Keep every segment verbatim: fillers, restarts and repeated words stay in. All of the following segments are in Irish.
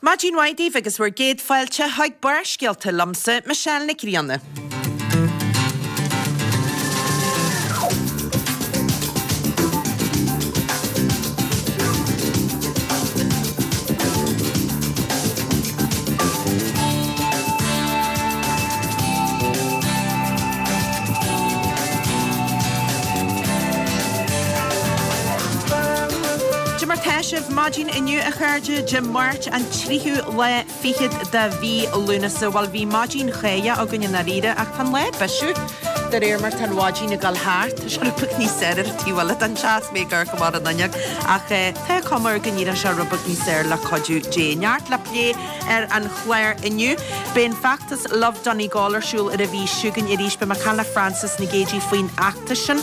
Maidin mhaith daoibh agus bhur gcéad fáilte chuig Barrscéalta liomsa, Michelle Nic Grianna. Cad é mar tá sibh maidin inniu a chairde, Dé Máirt an tríú lá fichead de mhí Lúnasa. Bhuel bhí maidin cháidheach againn i ndáiríre ach tá an lá ag bisiú de réir mar tá an mhaidin ag dul thart. Tá sé rud beag níos saoire ar an taobh eile den teach is mé ag amharc amach an fhuinneog ach tá cuma air go n-éireoidh sé rud beag níos saoire le cuidiú Dé. Neart le plé ar an chlár inniu. Beidh an feachtas Love Donegal ar siúl ar an mhí seo chugainn arís. Beidh mé ag caint le Frances Nic Géadaigh faoin fheachtas sin.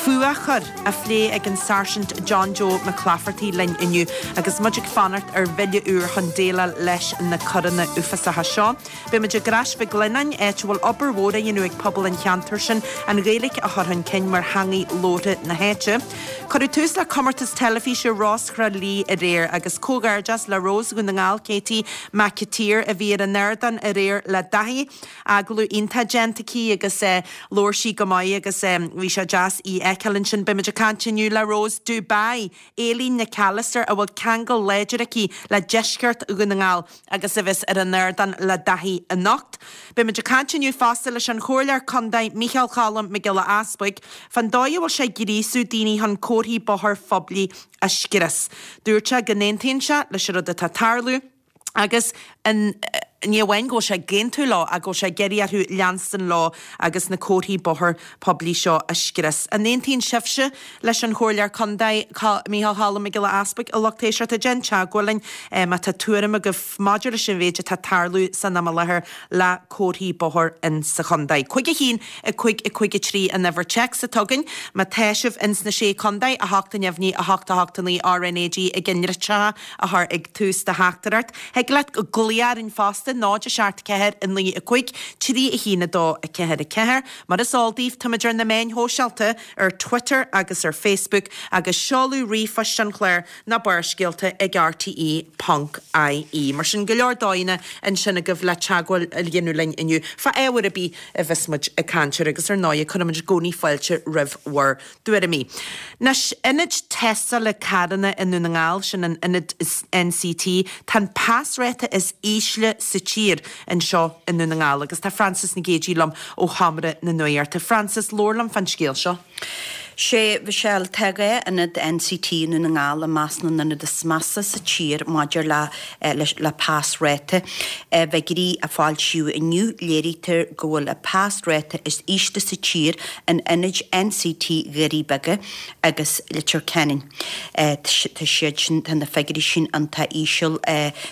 Fuathchoir á phlé ag an Sáirsint John Joe McClafferty linn inniu agus muid ag fanacht ar bhille úr chun déileáil leis na coireanna uafásacha seo. Beidh muid i gCrois Mhic Lionnáin, áit a bhfuil obair mhór á dhéanamh ag pobal an cheantair sin an Ghaeilge a chur chun cinn mar theangaidh labhartha na háite. Cuireadh tús le comórtas teilifíse Rós Thrá Lí aréir agus comhghairdeas le Rós Dhún na nGall Katie McAteer a bhí ar an ardán aréir le Daithí. Agallamh iontach déanta aici agus labhair sí go maith agus bhí sé deas í a fheiceáil ansin. Beidh muid ag caint inniu le Rose Dubai, Aileen Nic Allister a bhfuil ceangal láidir aici le deisceart Dhún na nGall agus a bheas ar an ardán le Daithí anocht. Beidh muid ag caint inniu fosta leis an Chomhairleoir Contae Micheál Cholm Mac Giolla Easbuig fán dóigh a bhfuil sé ag gríosú daoine chun comharthaí bóthair phoiblí a scrios. Dúirt sé go n-aontaíonn sé leis an rud atá ag tarlú agus an ní amháin go bhfuil sé ag aontú leo ach go bhfuil sé ag iarraidh orthu leanstan leo agus na comharthaí bóthair poiblí seo a scrios. An aontaíonn sibhse leis an Chomhairleoir Contae Micheál Cholm Mac Giolla Easbuig a lucht éisteachta? Déan teagmháil linn má tá tuairim agaibh maidir leis an mhéid atá ag tarlú san am i láthair le comharthaí bóthair in sa chontae. Cúig a haon, a cúig, a cúig a trí an uimhir téacs atá againn. Má tá sibh ins na Sé Contae, a hocht a neamhní, a hocht a hocht a naoi RnaG i gcinnritseacha a chur ag tús do theachtaireacht. Thig leat glaoch orainn fosta, náid a seacht ceathair a naoi a cúig, trí a haon a dó a ceathair a ceathair. Mar is eol daoibh, táimid ar na meáin shóisialta, ar Twitter agus ar Facebook, agus seoladh ríomhphoist an chláir ná Barrscéalta ag rte ponc ie. Mar sin, go leor dóigheanna ansin agaibh le teagmháil a dhéanamh linn inniu fá ábhar ar bith a bheas muid ag caint air agus ar ndóigh cuirimid i gcónaí fáilte roimh bhur dtuairimí. Anois, ionad tástála carranna i nDún na nGall, sin an ionad NCT, tá an pasráta is ísle sa tír anseo i nDún na nGall agus tá Frances Nic Géadaigh liom ó Sheomra na Nuachta. Frances, labhair liom fán scéal seo. Sé, Mhichelle, tá dhá ionad NCT i nDún na nGall i measc na n-ionad is measa sa tír maidir le le pasráta. I bhfigiúirí a foilsíodh inniu, léirítear go bhfuil an pasráta is ísle sa tír in ionaid NCT Dhoirí Beaga agus Leitir Ceanainn. Tá siad sin, tá na figiúirí sin iontach íseal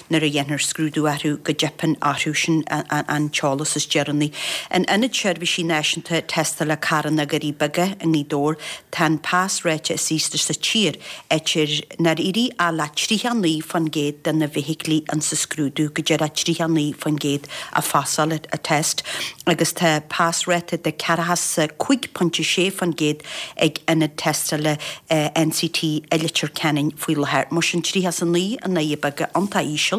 nuair a dhéantar scrúdú orthu go dteipeann orthu sin an t-eolas is deireanaí. In Ionad Seirbhísí Náisiúnta Tástála Carranna Dhoirí Beaga i nGaoth Dobhair, tá an pasráta is ísle sa tír, áit ar nár éirigh ach le tríocha naoi faoin gcéad de na feithiclí insa scrúdú, go díreach tríocha naoi faoin gcéad a phasáil an test, agus tá pasráta de ceathracha 's a cúig pointe sé faoin gcéad ag ionad tástála NCT i Leitir Ceanainn faoi láthair. Mar sin tríocha 's a naoi i nDoirí Beaga iontach íseal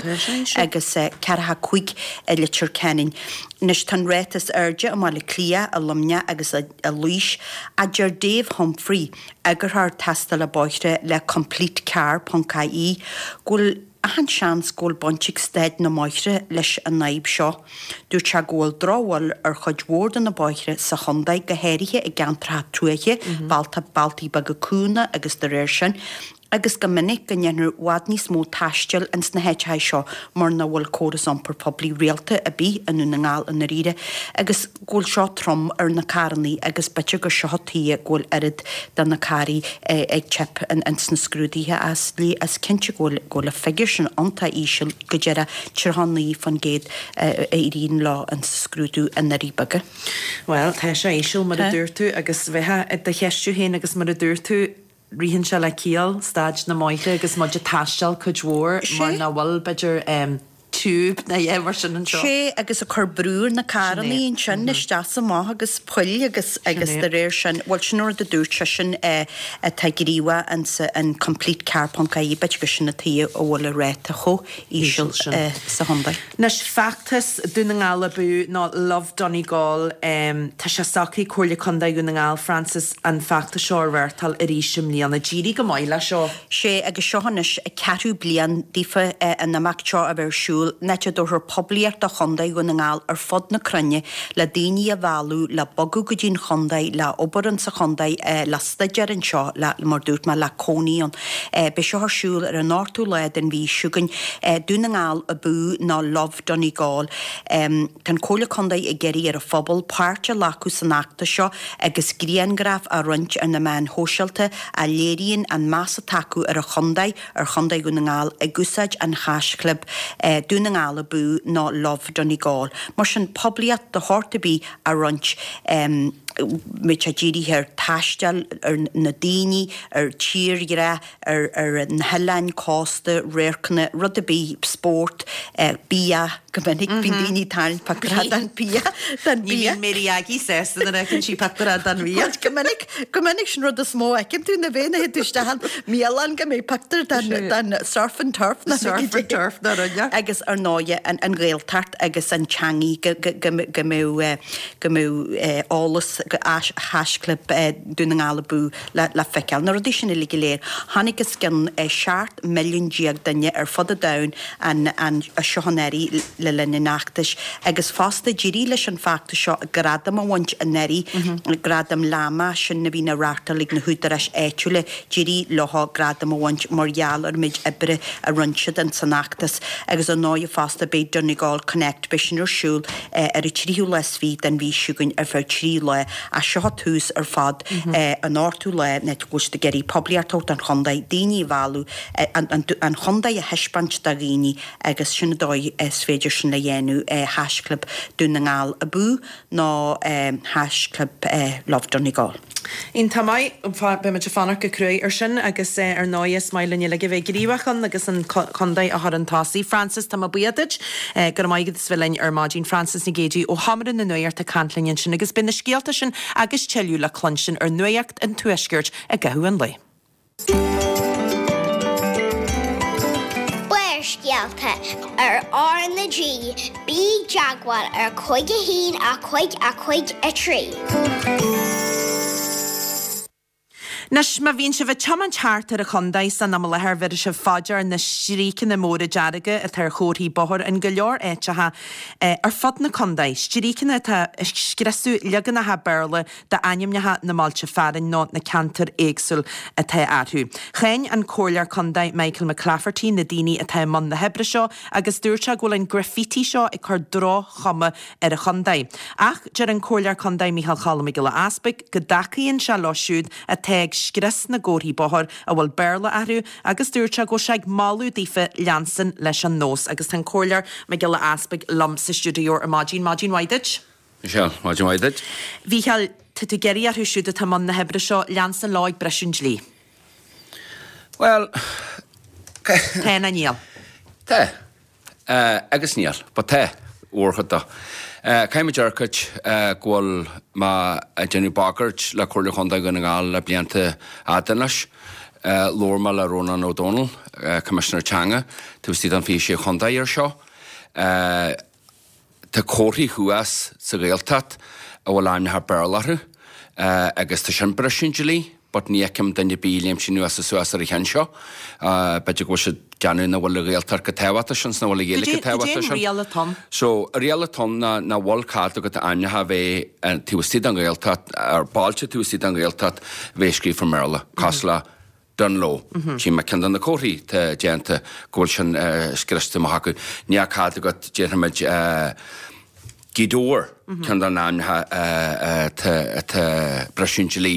agus ceathracha cúig i Leitir Ceanainn. Anois tá an ráta is airde i mBaile Átha Cliath, i Luimneach agus i Laois, a deir Dave Humphrey, eagarthóir tástála bóithre le Complete Car ponc ie, go bhfuil achan seans go bhfuil baint ag staid na mbóithre leis an fhadhb seo. Dúirt sé go bhfuil drochbhail ar chuid mhór de na bóithre sa chontae, go háirithe i gceantracha tuaithe, bealtaí beaga cúnga agus dá réir sin, agus go minic go ndéantar i bhfad níos mó taistil ins na háiteacha seo mar nach bhfuil córas iompair poiblí rialta ar bith i nDún na nGall i ndáiríre agus go bhfuil seo trom ar na carrannaí agus b'fhéidir gur seo an tuige go bhfuil oiread de na carraí ag teip ins na scrúduithe as is cinnte go bhfuil go bhfuil an figiúr sin iontach íseal go díreach tríocha naoi faoin gcéad a éiríonn leo ins an scrúdú i nDoirí Beaga. Bhuel, tá sé íseal mar a dúirt tú agus bheifeá i do cheistiú féin agus mar a dúirt tú, Ritheann sé le ciall, staid na mbóithre agus muid ag taisteal cuid mhór mar nach bhfuil, b'fhéidir, tiúb na é mar sin anseo. Sé agus ag cur brú ar na carrannaí ansin isteach is amach agus poill agus agus de réir sin, bhuel sin rud a dúirt seisean atá gníomhach insa an complete car ponc ie b'fhéidir gur sin an tuige a bhfuil an ráta chomh íseal sa chontae. Anois feachtas Dún na nGall Abú nó Love Donegal, tá sé socraithe ag Comhairle Contae Dhún na nGall, Frances, an feachtas seo a reáchtáil arís i mbliana. D'éirigh go maith leis seo. Sé agus seo anois an ceathrú bliain daofa an imeacht seo a bheith ar siúl, in áit a dtabharfar poiblíocht do Chontae Dhún na nGall ar fud na cruinne le daoine a mhealladh le bogadh go dtí'n chontae, le obair insa chontae, le staidéar anseo, le, mar dúirt mé, le cónaí ann. Beidh seo ar siúl ar an ochtú lá den mhí seo chugainn. Dún na nGall Abú nó Love Donegal. Tá an Comhairle Contae ag iarraidh ar an phobal páirt a ghlacadh san fheachtas seo agus grianghraif a roinnt ar na meáin shóisialta a léiríonn an meas atá acu ar an chontae, ar Chontae Dhún na nGall, ag úsáid an haischlib Dún na nGall Abú nó Love Donegal. Mar sin, poiblíocht de shórt ar bith a roinnt, beidh sé dírithe ar taisteal, ar na daoine, ar tírdhreach, ar ar na hoileáin, cósta, radharcanna, rud ar bith, spórt, bia, go minic bíonn daoine ag tarraingt pictiúr den bia, den Ní bia. bhíonn Mary Aggie sásta nuair a fheiceann sí pictiúr den bhia. Go minic, go minic sin rud is mó a fheiceann tú nuair a théann tú isteach i mbialann go mbeidh pictiúr den den surf and turf na Surf and turf na rinne. Agus ar ndóighe an an Ghaeltacht agus an teangaidh go go go go mbeadh go mbeadh eolas go haischlib Dún na nGall Abú le le feiceáil. Na rudaí sin uilig go léir. Chonaic os cionn seacht milliún déag duine ar fud an domhain an an seo anuraidh le linn an fheachtais agus fosta d'éirigh leis an feachtas seo gradam a bhaint anuraidh, gradam LAMA sin a bhíonn á reáchtáil ag na húdaráis áitiúla, d'éirigh leo gradam a bhaint mar gheall ar an méid oibre a rinne siad ins an fheachtas agus ar ndóighe fosta beidh Donegal Connect, beidh sin ar siúl ar an tríú lá is fiche den mhí seo chugainn ar feadh trí lá ach seo tús ar fad an ochtú lá in áit go bhfuil siad ag iarraidh poiblíocht a thabhairt don chontae, daoine a mhealladh, an chontae a thaispeáint do dhaoine agus sin an dóigh is féidir sin le dhéanamh, haischlib Dún na nGall Abú nó haischlib Love Donegal. Iontach maith, beidh muid ag fanacht go cruaidh ar sin agus ar ndóigh is maith linn uilig a bheith gníomhach ann agus an contae a chur chun tosaigh. Frances, tá mé buíoch duit. Go raibh maith agat as bheith linn ar maidin. Frances Nic Géadaigh ó Sheomra na Nuachta ag caint linn ansin agus beidh na scéalta sin agus tuilleadh le cluinstin ar Nuacht an Tuaiscirt i gcaitheamh an lae. Barrscéalta ar R na G, bí i dteagmháil ar cúig a haon a cúig a cúig a trí. Anois, má bhíonn sibh ag tiomáint thart ar an chontae san am i láthair, bhéarfaidh sibh fá dear na stríocanna móra dearga atá ar chomharthaí bóthair in go leor áiteacha ar fud na contae. Stríocanna atá ag scriosadh leaganacha Béarla d'ainmneacha na mbailte fearainn nó na ceantar éagsúil atá orthu. Cháin an Comhairleoir Contae Michael McClafferty na daoine atá i mbun na hoibre seo agus dúirt sé go bhfuil an graffiti seo ag cur droch-chuma ar an chontae. Ach deir an Comhairleoir Contae Micheál Choilm Mac Giolla Easpaig go dtacaíonn sé leo siúd atá ag scrios na gcomharthaí bóthair a bhfuil Béarla orthu agus dúirt sé go bhfuil sé ag moladh daofa leanstan leis an nós agus tá an Comhairleoir Mac Giolla Easpaig liom sa stiúideo ar maidin. Maidin mhaith duit. Michelle, maidin mhaith duit. Mhícheáil, tá tú ag iarraidh orthu siúd atá i mbun na hoibre seo leanstan leo ag briseadh an dlí. Bhuel, Tá nó níl? Tá. Agus níl, but tá, mórchuid de. Caithfidh muid dearcadh go bhfuil mé ag déanamh bagairt le Comhairle Chontae Dhún na nGall le blianta fhada anois. Labhair mé le Rónán Ó Domhnaill, Coimisinéir Teanga, taobh istigh den fiche sé chontae air seo. Tá comharthaí thuas sa Ghaeltacht a bhfuil ainmneacha Béarla orthu agus tá sin briseadh an dlí but ní fheicim duine ar bith léimt anuas is suas ar an cheann seo. B'fhéidir go bhfuil siad ag déanamh nach bhfuil an Ghaeltacht chomh tábhachtach sin 's nach bhfuil an Ghaeilge chomh tábhachtach sin. Cad é an riail atá ann? So, an riail atá ann ná nach bhfuil cead agat ainmneacha a bheith taobh istigh den Ghaeltacht, ar bailte taobh istigh den Ghaeltacht a bheith scríofa i mBéarla, cosúil le Dungloe. Tchím mé ceann de na comharthaí atá déanta go bhfuil sin scriosta amach acu. Níl cead agat, déarfaimid, Gaoth Dobhair. ceann de na hainmneacha atá briseadh an dlí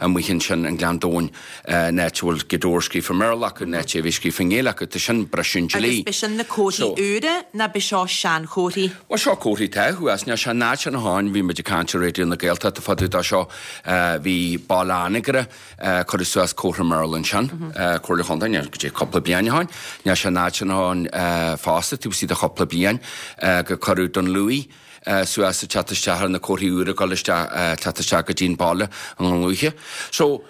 amuigh ansin i nGleann Domhain, in áit a bhfuil Gaoth Dobhair scríofa i mBéarla acu, in áit a bhí scríofa i nGaeilge acu, tá sin briseadh an dlí. Agus b'é sin na comharthaí úra ná b'é seo seanchomharthaí? Bhuel seo comharthaí atá thuas, níl sé an áit sin amháin, bhí muid ag caint ar Raidió na Gaeltachta fá dtaobh de seo, bhí Baile Anagaire, cuireadh suas comhartha i mBéarla ansin, Comhairle Chontae, níl go dtí cúpla bliain ó shin, níl sé an áit sin amháin fosta, taobh istigh de chúpla bliain, go cuireadh Dún Lúiche suas ag teacht isteach ar na comharthaí úra ag dul isteach, teacht isteach go dtí an baile i nDún Lúiche. So,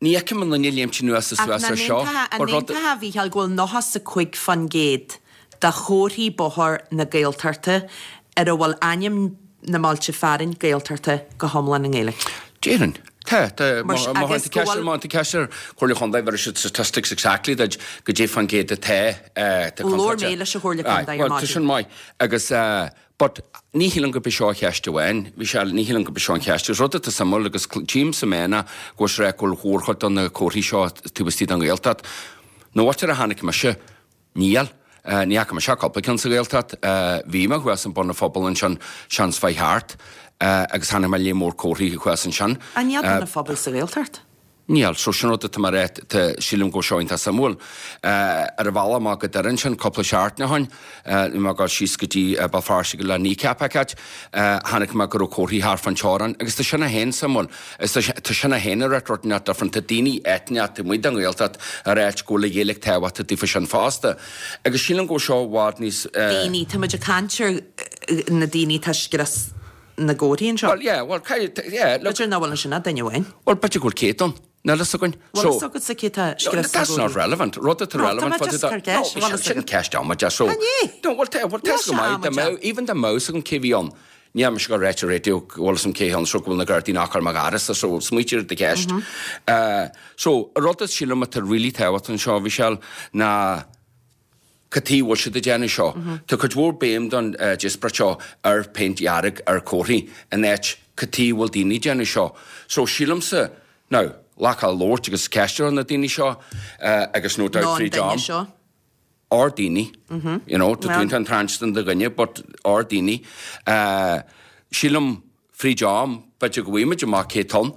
ní fheicim an duine léimt anuas is suas ar seo. Ach an n-aontófá, a Mhícheáil, go bhfuil nócha 's a cúig fán gcéad de chomharthaí bóthair na Gaeltachta ar a bhfuil ainm na mbailte fearainn Gaeltachta go hiomlán i nGaeilge? Déarfainn. Tá, tá. Má théann tú ceist, má théann tú ceist ar Chomhairle Chontae, bheir siad statistics exactly duit goidé fán gcéad atá, atá Labhair mé leis an Chomhairle Contae ar maidin. Tá sin maith. Agus, but ní shílim gurb é seo an cheist amháin. Bhí sé, ní shílim gurb é seo an cheist. Is rud atá suimiúil agus tchím sa meán ná go bhfuil sé ag rá go bhfuil mhórchuid de na comharthaí seo taobh istigh den Ghaeltacht. Na bhfaightear a chonaic mise, níl. Ní fhaca mise ach cúpla ceann sa Ghaeltacht. Bhí mé thuas in Bun an Phobail ansin seans mhaith thart agus chonaic mé léar mór comharthaí thuas ansin. An níl Bun an Phobail sa Ghaeltacht? Níl. So sin rud atá mé a rá, tá, sílim go bhfuil seo iontach suimiúil. Ar an bhealach amach go Doire ansin cúpla seachtain ó shin, bhí mé ag dul síos go dtí Béal Feirste le Kneecap a fheiceáilt, chonaic mé go raibh comharthaí thart fán teorainn agus tá sin é féin suimiúil. Is tá tá sin é féin ag rá rud inteacht different. Tá daoine eitneach taobh amuigh den Ghaeltacht ag ráit go bhfuil an Ghaeilge tábhachtach daofa sin fosta. Agus sílim go bhfuil seo i bhfad níos. Daoine, tá muid ag caint ar na daoine atá ag scrios na gcomharthaí anseo. Bhuel, yeah, bhuel, caithfidh, yeah, look. B'fhéidir nach bhfuil ansin ach duine amháin. Bhuel, b'fhéidir go bhfuil céad ann. Níl fhios againn. Bhfuil fhios agatsa cé tá ag scrios na That's not relevant. Rud atá relevant fá dtaobh de. No, tá mé just ag cur ceist. Sin ceist amaideach. So, An é? No, bhuel, tá, bhuel, tá fhios go maith, dá mbeadh, even dá mbeadh fhios agam cé bhí ann, níl mise ag dul a ráit ar raidió go bhfuil fhios agam cé ann so go bhfuil na Gardaí nach ar mo gharasa, so smaoitigh ar do cheist. So, an rud a sílim atá really tábhachtach anseo, a Mhichelle, ná cad chuige a bhfuil siad ag déanamh seo. Tá cuid mhór béim don díospóireacht seo ar phéint dhearg ar chomharthaí in áit cad chuige a bhfuil daoine ag déanamh seo. So sílimse, now, glacadh labhairt agus ceistiú ar na daoine seo agus no doubt Nó an fríd am. duine seo. Ár daoine, you know, tá tú iontach an do dhuine but ár daoine. Sílim fríd am, b'fhéidir go bhfaighimid amach cé tá ann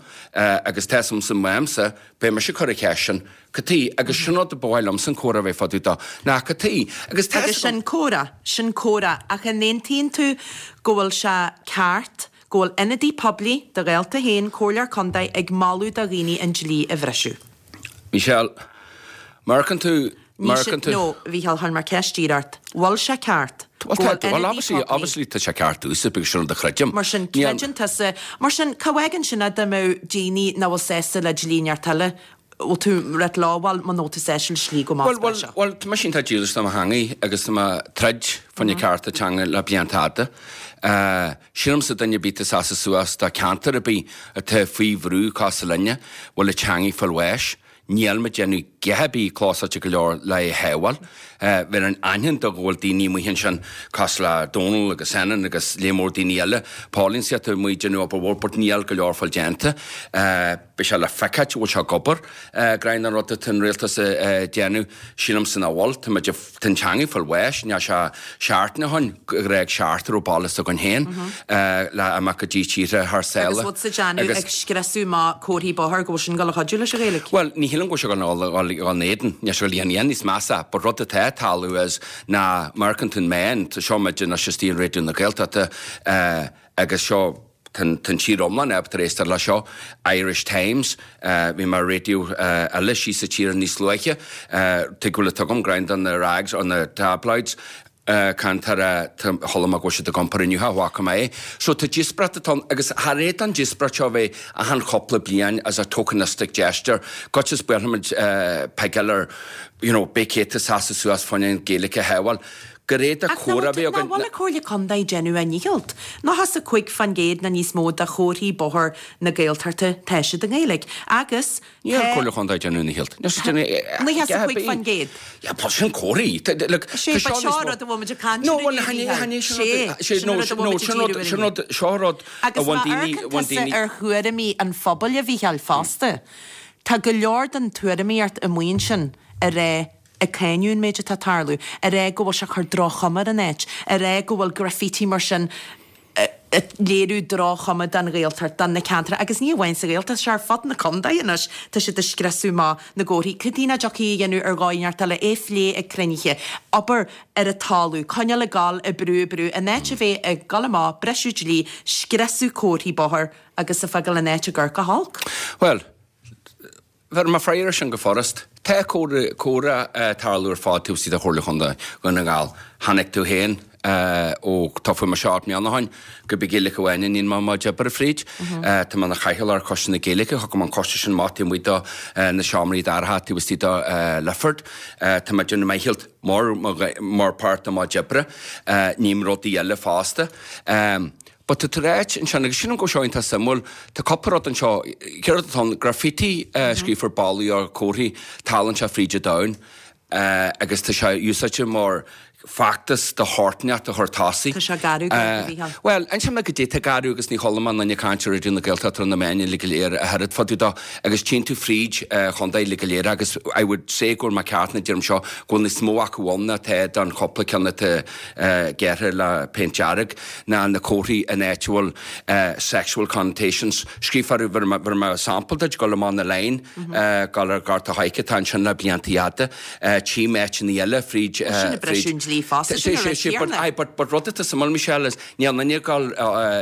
agus tá fhios a'msa uaimse, beidh mise ag cur an cheist sin, cad chuige, agus sin rud a ba mhaith liomsa an comhrá a bheith fá dtaobh de, ná cad chuige, agus tá Agus sin comhrá, sin comhrá, ach an aontaíonn tú go bhfuil sé ceart go bhfuil ionadaí poiblí, do ghaolta féin, comhairleoir contae, ag moladh do dhaoine an dlí a bhriseadh? Michelle, má amharcann tú, Ní má sin, amharcann tú. no, a Mhícheáil, chuir mé ceist díreach ort. Bhfuil sé ceart go Bhuel, tá, bhfuil bhuel, ionadaí obviously, poiblí. obviously tá sé ceart domhsa because sin rud a chreidim. Mar sin, Níl. creideann tusa, mar sin, cá bhfágann sin é dá mbeadh daoine nach bhfuil sásta le dlí neart eile, bhfuil tú ag rá leo, bhuel, muna bhfuil tú sásta le dlí go Bhuel, maith bhuel, seo. bhuel, tá mise iontach dílis do mo theangaidh agus tá mé ag troid fá choinne cearta teanga le blianta fhada. Sílimse duine ar bith atá ag seasamh suas do cheantar ar bith atá faoi bhrú cosúil linne, bhfuil a teangaidh ag fáil bháis, níl muid ag déanamh a dhath ar bith cloisteáilte go leor le é a shábháil. Bheinn aithne do go bhfuil daoine amuigh ansin cosúil le Dónal agus Senan agus léar mór daoine eile, Pauline is iad amuigh ag déanamh obair mhór but níl go leor fáil déanta. Beidh sé le feiceáilt an bhfuil sé ag obair. Greann an rud atá an rialtas a déanamh, sílimse nach bhfuil. Tá muid, tá an teanga ag fáil bháis, níl sé seachtain ó shin gur fhág seachtar ó baile s'againn féin le imeacht go dtí tíortha thar Agus sáile. bhfuil sa déanamh ag scriosadh amach comharthaí bóthair go bhfuil sin ag dul a chuidiú leis an Ghaeilge? Bhuel, ní shílim go bhfuil sé ag dul dul in éadan, níl sé ag dul a dhéanamh níos measa, but rud atá ag tarlú is ná má amharcann tú an meán, seo muid anois istigh in Raidió na Gaeltachta agus seo tá an tír iomlán ábalta éisteacht le seo, Irish Times, bhí mé ar raidió eile síos sa tír níos luaithe, tuig go bhfuil a tugaim greim do na rags or na tabloids, Cantar chuala mé go bhfuil siad ag iompar inniu, cha bhfaca mé é. So tá díospóireacht atá ann agus thar éad an díospóireacht seo a bheith achan chúpla bliain as a tokenistic gesture, goitse is buailfimid peigeáil ar you know beidh céadta sásta suas fá choinne an Ghaeilge a shábháil. Gur fhéadfadh Ach comhrá a bheith nach againn. bhfuil an Comhairle Contae ag déanamh a ndícheall? Nócha 's a cúig fán gcéad nó níos mó de chomharthaí bóthair na Gaeltachta tá siad i nGaeilge agus Níl tá Comhairle Chontae ag déanamh a ndícheall. Níl siad ag déanamh Nócha 's a a dhath ar cúig bith. fán gcéad. Yeah, but sin comharthaí. Tá- look, Sé, tá seo but níos seo mó- rud a bhfuil muid ag caint No, air bhuel, inniu, chan é- Mícheál. chan é sin Sé, rud- sé, sin no, rud a sin- bhfuil no, muid ag sin rud- díriú air sin inniu. rud- seo rud a Agus bhain má daoine- amharcann bhain tusa daoine- ar thuairimí an phobail a Mhícheáil fosta, tá go leor den tuairimíocht amuigh ansin a rá ag cáineadh an méid atá ag tarlú, a rá go bhfuil sé ag cur droch-chuma ar an áit, a rá go bhfuil graffiti mar sin Léiriú droch-chuma don Ghaeltacht, don na ceantair agus ní amháin sa Ghaeltacht, sé ar fud na contae anois tá siad ag scriosadh amach na gcomharthaí. Cad chuige nach dtiocfaí a dhéanamh ar dhóigh inteacht eile, é phlé ag cruinnithe, obair ar an talamh, coinneáil ag gabháil, ag brú, ag brú, in áit a bheith ag gabháil amach, briseadh dlí, scriosadh comharthaí bóthair agus ag fágáil an áit ag amharc go holc. Bhuel, bheir mé freagra sin go furast. Tá comhrá ag tarlú ar fad taobh istigh de Chomhairle Chontae Dhún na nGall. Chonaic tú féin ó toghadh mé seacht mbliana ó shin gurb í Gaeilge amháin a níonn mé mo chuid oibre fríd. Tá mé ina chathaoirleach ar Choiste na Gaeilge, thug mé an coiste sin amach taobh amuigh de na seomraí dorcha taobh istigh de Lifford. Tá mé ag déanamh mo dhícheall mar mar páirt de mo chuid oibre. Ním rudaí eile fosta. But tá tú ráit ansin, agus sílim go bhfuil seo iontach suimiúil, tá cúpla rud anseo, céard atá ann, graffiti scríofa ar ballaí ar comharthaí, tarlaíonn sé fríd an domhan agus tá sé úsáidte mar feachtas do shórt inteacht a chur tosaigh. Tá sé garbh go leor, a Mhícheáil. Bhuel, inseoidh mé goidé tá garbh agus ní chuala mé aon duine ag caint ar Raidió na Gaeltachta ar na meáin uilig go léir a oiread fá dtaobh dó agus tchíonn tú fríd chontae uilig go léir agus I would say go bhfuil mé ceart nuair a deirim seo go bhfuil níos mó acu ann ná tá don chúpla ceann atá gearrtha le péint dearg ná na comharthaí in áit a bhfuil sexual connotations scríofa orthu. Bheir mé sampla duit, dul amach na line, dul ar Ghort a' Choirce, atá ansin le blianta fhada, tchím áiteanna eile fríd. Sin ag briseadh an dlí fosta, sin an rud céanna. Aye, but but rud atá suimiúil, Michelle, is níl aon duine ag dul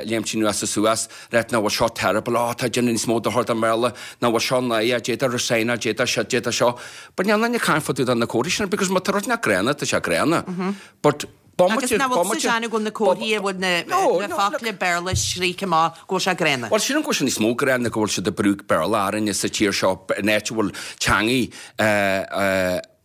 léimt anuas is suas, right, nach bhfuil seo terrible, oh tá déanamh níos mó dochar don Bhéarla, nach bhfuil seo náireach, d'fhéadfadh resign, d'fhéadfadh seo, d'fhéadfadh seo. But níl aon duine ag caint fá dtaobh de na comharthaí sin because má tá rud nach gránna, tá sé gránna. But Agus nach bhfuil tusa ag déanamh go bhfuil na comharthaí a bhfuil na focla Béarla scríte amach go bhfuil sé gránna? Bhuel, sílim go bhfuil sé níos mó gránna go bhfuil siad ag brú Béarla orainne sa tír seo in áit a bhfuil teangaí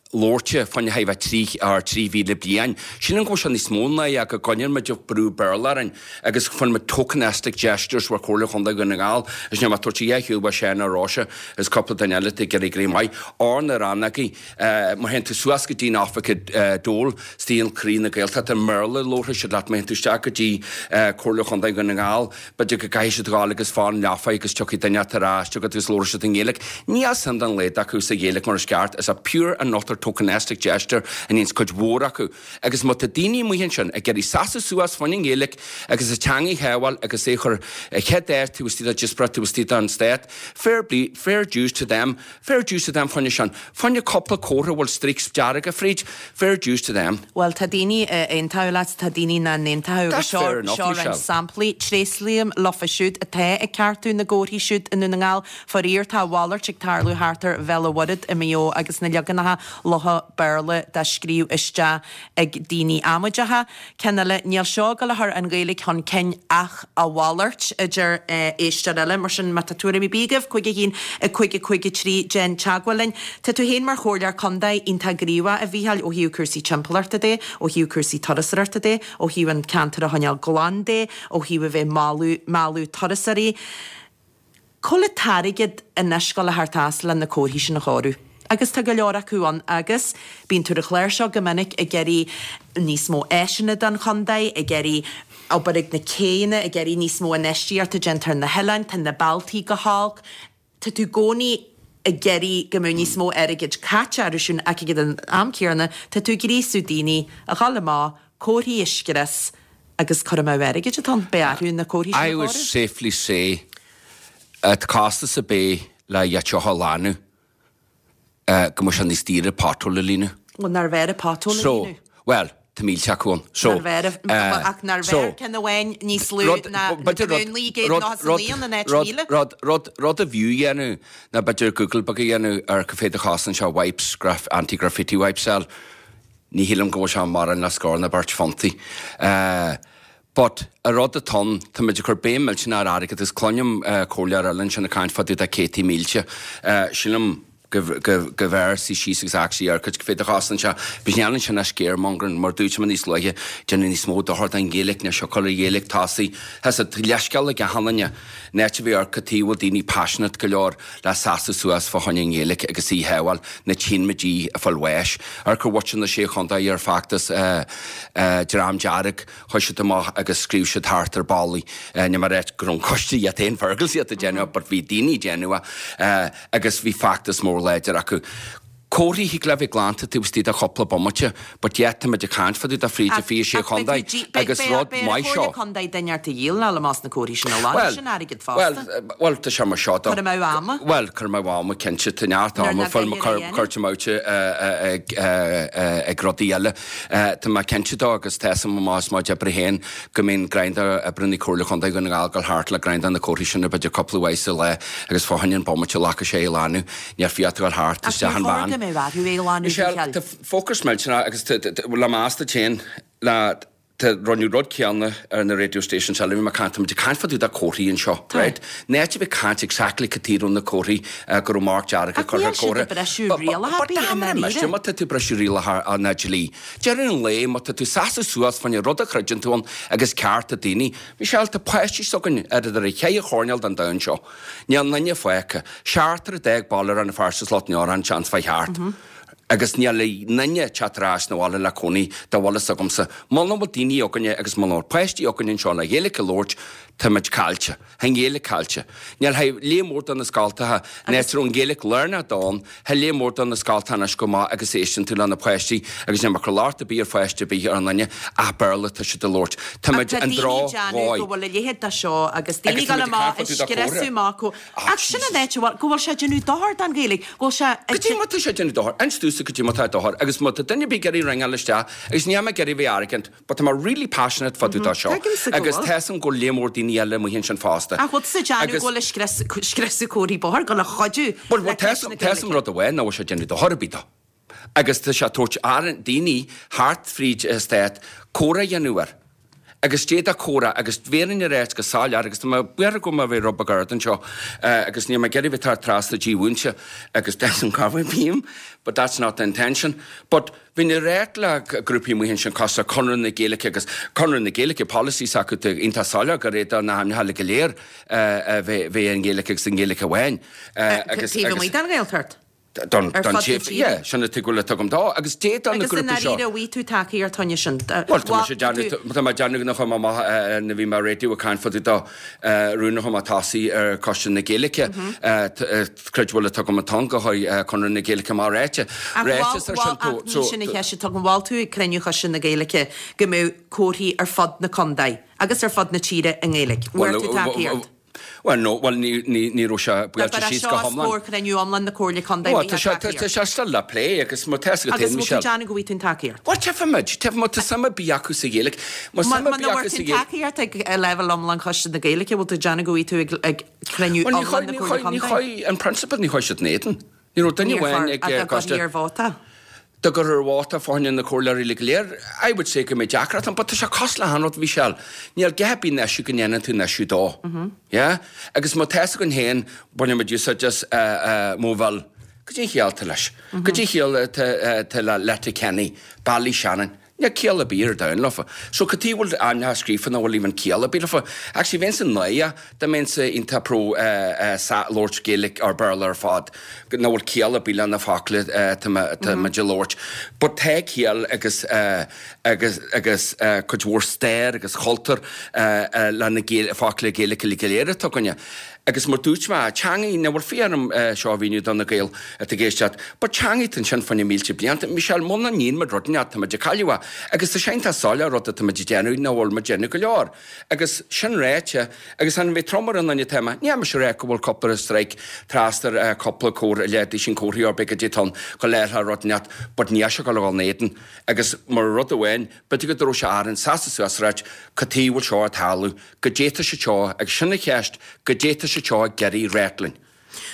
labhairte fá choinne bheith trí or trí mhíle bliain. Sílim go bhfuil sé níos mó ná go gcoinníonn muid ag brú Béarla orainn agus fuair muid tokenistic gestures bhur Comhairle Chontae Dhún na nGall is níl mé ag tabhairt a dhath shiúl uaidh Seán nó Róise is cúpla duine eile atá ag iarraidh éirí maith ar na rannógaí. Má théann tú suas go dtí an oifig dole istigh i gcroí na Gaeltachta i mBéarla labharfaidh siad leat má théann tú isteach go dtí Comhairle Chontae Dhún na nGall b'fhéidir go gcaithfidh siad ghabháil agus fán leafa agus tiocfaidh duine ar ais chugat agus labharfaidh siad i nGaeilge. Níl suim dá laghad acu sa Ghaeilge mar is ceart. It's a pure and utter tokenistic gesture a níonns cuid mhór acu. Agus má tá daoine amuigh ansin ag iarraidh seasamh suas fá choinne an Ghaeilge agus a teanga a shábháil agus é a chur i chéad áit taobh istigh de díospóireacht taobh istigh den stát, fair play, fair dues to them, fair dues to them fá choinne sin, fá choinne cúpla comhartha a bhfuil streaks dearga fríd, fair dues to them. Bhuel, tá daoine a aontódh leat, tá daoine nach n-aontódh agus That's seo, fair enough, seo roinnt Michelle. samplaí. Tréaslaím leofa siúd atá ag ceartú na gcomharthaí siúd i nDún na nGall. Faraor, tá a mhalairt ag tarlú thart ar Bhéal an Mhuirthead i Maigh Eo agus na leaganacha lofa Béarla dá scríobh isteach ag daoine amaideacha. Ceann eile, níl seo ag dul a chur an Ghaeilge chun cinn ach a mhalairt, a deir éisteoir eile. Mar sin, má tá tuairim ar bith agaibh, cúig a haon, a cúig a cúig a trí, déan teagmháil linn. Tá tú féin mar chomhairleoir contae iontach gníomhach, a Mhícheáil, ó thaobh cúrsaí timpeallachta de, ó thaobh cúrsaí turasóireachta de, ó thaobh an ceantar a choinneáil glan de, ó thaobh a bheith ag mealladh, mealladh turasóirí. Cá bhfuil an t-airgead anois ag dul a theacht as le na comharthaí sin a chóiriú? Agus tá go leor acu ann agus bíonn tú ar an chlár seo go minic ag iarraidh níos mó áiseanna don chontae, ag iarraidh obair ag na céanna, ag iarraidh níos mó infheistíochta déanta ar na hoileáin, tá na bealtaí go holc, tá tú i gcónaí ag iarraidh go mbeadh níos mó airgid caite orthu sin ach ag an am céanna tá tú ag gríosú daoine a dhul amach, comharthaí a scrios agus cur amú airgid atá ann, beidh orthu na comharthaí sin a I would chóiriú. safely say at costas ar bith le iad seo a ghlanadh go mbeadh sé níos daoire pothole a líonadh. Bhuel, nár bhfearr pothole a So, líonadh? bhuel, tá mílte acu ann. So, Nár bhfearr, ach nár bhfearr ceann amháin níos lú ná na múnlaí gcéad nócha is a naoi ann in áit míle? Rud, rud, rud a bhfiú a dhéanamh ná b'fhéidir Google beag a dhéanamh ar cá mhéad a chosann sé wipes, graf, anti-graffiti wipes a fháil. Ní shílim go bhfuil sé mórán le scór ná beirt phuntaí. But, an rud atá ann, tá muid ag cur béim millteanach ar airgead agus cluinim comhairleoir eile ansin ag caint fá dtaobh de céadtaí mílte. Sílim go mb'fhearr suí síos agus actually amharc cá mhéad a chosann sé. But níl ansin ach scaremongering, mar dúirt mé níos luaithe, déanamh níos mó dochar don Ghaeilge ná siocair an Ghaeilge tosaigh. Tá sé leithscéal ag achan duine. In áit a bheith amharc cad chuige a bhfuil daoine passionate go leor le seasamh suas fá choinne an Ghaeilge agus í a shábháil, na tchíonn muid í ag fáil bháis. Amharc ar mhuintir na Sé Chontae ar feachtas Dream Dearg, chuaigh siad amach agus scríobh siad thart ar ballaí. Ní mar áit go raibh an coiste iad féin Fergal iad ag déanamh but bhí daoine ag déanamh é agus bhí feachtas mór láidir acu. Comharthaí thig le bheith glanta taobh istigh de chúpla bomaite, but yet tá muid ag caint fá dtaobh de fríd an fiche sé chontae agus rud maith seo. Beidh Comhairle Contae duine ort a dhíol ná le más na comharthaí sin a ghlanadh, sin airgead Bhuel, fosta. bhuel, tá sé mar seo do. Cur amú ama. Bhuel, cur amú ama, cinnte, tá neart Nuair ama nach fuil beidh ar a dhéanamh. curtha amú ag ag rudaí eile. Tá mé cinnte dó agus tá a fhios agam más maith oibre féin go mbíonn greim de oibreanna Comhairle Chontae Dhún na nGall ag dul thart le greim de na comharthaí sin b'fhéidir cúpla uair sa lá agus fá choinne an bomaite a ghlacfaidh sé é a ghlanadh, níor fiú a ghabháil thart Ach isteach níor an chóir veain. go mbeadh orthu é a ghlanadh, Michelle, Mhichíl. tá focus millteanach agus le meas duit féin le tá rinneadh rud céanna ar na radio stations eile, bhí mé ag caint, tá muid ag caint fá dtaobh de comharthaí anseo, Tá. right? Náit a bheith caint exactly cad chuige raibh na comharthaí go raibh marc dearg Ach curtha níl ar siad comhartha. ag briseadh But- but- rialacha but ar bith i dámar ndáiríre. mise, má tá tú ag briseadh rialacha ná dlí. Deireadh an lae, má tá tú seasamh suas fá choinne rud a chreideann tú ann agus cearta daoine, Michelle, tá páistí s'againn ar idir a cheithre choirnéal den domhan seo. Níl duine fágtha. Seachtar a d'fhág Baile Rann na Feirste is Lot an Fheoráin seans fá cheart. Agus níl duine teacht ar ais na bhaile le cónaí dá bhfuil fhios agamsa. Muna bhfuil daoine againne agus muna bhfuil páistí againne anseo le Gaeilge a labhairt, tá muid caillte. Tá an Ghaeilge caillte. Níl hé léim mór do na scoltacha, áit a raibh an Ghaeilge lárnach ann, hé léim mór do na scoltacha anois go maith agus éisteann tú le na páistí agus níl mé ag cur locht ar bith ar pháiste ar bith ar an duine ach Béarla tá siad a labhairt. Tá muid Ach tá an daoine droch ag déanamh dhóigh. go bhfuil a leithéid de seo agus daoine Agus tá ag dul muid ag amach caint ag fá dtaobh de scriosadh chomhartha. amach go- Ah, Ach sin an Jesus. áit a bhfuil go bhfuil sé ag déanamh dochar don Ghaeilge, go bhfuil sé ag Go dtí má tá sé ag déanamh dochar, inis domhsa go dtí má tá dochar, agus má tá duine ar bith ag iarraidh ringeáil isteach, agus níl mé ag iarraidh bheith arrogant, but tá mé really passionate fá dtaobh de seo. Tuigimse go Agus bhfuil. tá a fhios agam go bhfuil léim mór daoine eile amuigh ansin fosta. Ach bhfuil tú ag déanamh Agus- go bhfuil ag scrios- scriosadh comharthaí bóthair, go bhfuil ag cuidiú Well, le well, ceist na tá a fhios agam Gaeilge. rud amháin nach bhfuil sé ag déanamh dochar ar bith dó. Agus tá sé ag tabhairt ar daoine thart fríd an stát comhrá a dhéanamh air. Agus d'fhéadfadh comhrá agus bhéarfainn ar áit go soiléir agus tá mé buartha go mbeidh bheith rud beag ard anseo agus níl mé ag iarraidh bheith thar trasna dímhúinte agus that's an cover beam, but that's not the intention. But bhí na réit le grúpaí amuigh ansin cosúil le Conradh na Gaeilge agus Conradh na Gaeilge policies acu tá iontach soiléir gur é na hainmneacha go léir bheith bheith an Ghaeilge agus an Ghaeilge amháin. Agus taobh amuigh den Ghaeltacht. Don Ar don fud na tír tíre. yeah, sin a tuigul le tugam dá agus dé don na Agus in grúpaí seo. dáiríre bhí tú tacaíocht toine sin. Well, tá sé déanamh tá mé déanamh nach chum amach na bhí mar radio ag caint fá dtaobh de rún chum tosaí ar Choiste na Gaeilge creid bhfuil tugam an teanga chuig Conradh na Gaeilge mar réite. Réite ar sin tó sin a cheist tugann bhfuil tú ag cruinniú Choiste na Gaeilge go mbeadh comharthaí ar fud na contae agus ar fud na tíre i nGaeilge. Bhfuair tú tacaíocht. Well, no, well, ní ní ní raibh sé buailte síos go hiomlán. Scór cruinniú iomlán na Comhairle Contae Well, tá sé tá sé still le plé agus má tá go Agus Michelle. bhfuil tú déanamh go bhfuil tú tacaíocht. Well, tefimid, tefimid tá suim bí acu sa Ghaeilge. Má Má suim bí bhfuair acu sa tú Ghaeilge. tacaíocht ag leibhéal iomlán Choiste na Gaeilge, bhfuil tú déanamh go bhfuil tú ag ag cruinniú Well, ní iomlán na chuir- ní Comhairle chuir- ní Contae. chuir an principle ní chuir siad in éadan. Ní raibh duine amháin ag eh, Coiste ar vóta. Do gur ar vóta fá choinne na comhairleoirí go léir, I would say go mbeidh deacracht ann, but tá sé cosúil le haon rud Michelle. Níl geit bí neisiú go ndéanann tú neisiú dó. Yeah? Agus má tá an héin baine muid úsáid just uh, uh, móbhil Go dtí chiall leis. Go dtí chiall te le Letterkenny, Ballyshannon. Níl ciall ar bith ar domhan leofa. So go tí bhfuil aine scríofa na bhfuil even ciall ar bith leofa. Actually, bheinn san náia da mbeinn sa iontach pro uh, uh, sa labhairt Gaeilge ar Béarla ar fad. Na bhfuil ciall ar bith le na focla uh, tá muid ag labhairt. But tá ciall agus uh, agus agus uh, cuid mhór stair agus cultúr uh, uh, le na Gael- focla Gaeilge le go léir atá againne. Agus mar dúirt mé teangaí na bhfuil fiarm seo bhíú don na Gaeil a géisteat, ba teangaí an sin fanna mílte blianta, Michelle muna níon mar rud tá de cailua, agus tá sein tá sáile rud tá déanú na bhfuil mar déanú go leor. Agus sin réite agus an bhí tromar an anne tema, ní se ré go bhfuil cúpla strike trastar cúpla cór le sin cóí ar be dé tan go léirthe rud net, but ní se go le néan agus mar rud amháin, b'fhéidir go dtró sé an sasa suas ráit go tí bhfuil seo tarlú, go déta se seo agus sinna cheist go déta se seo Gary Rétlin.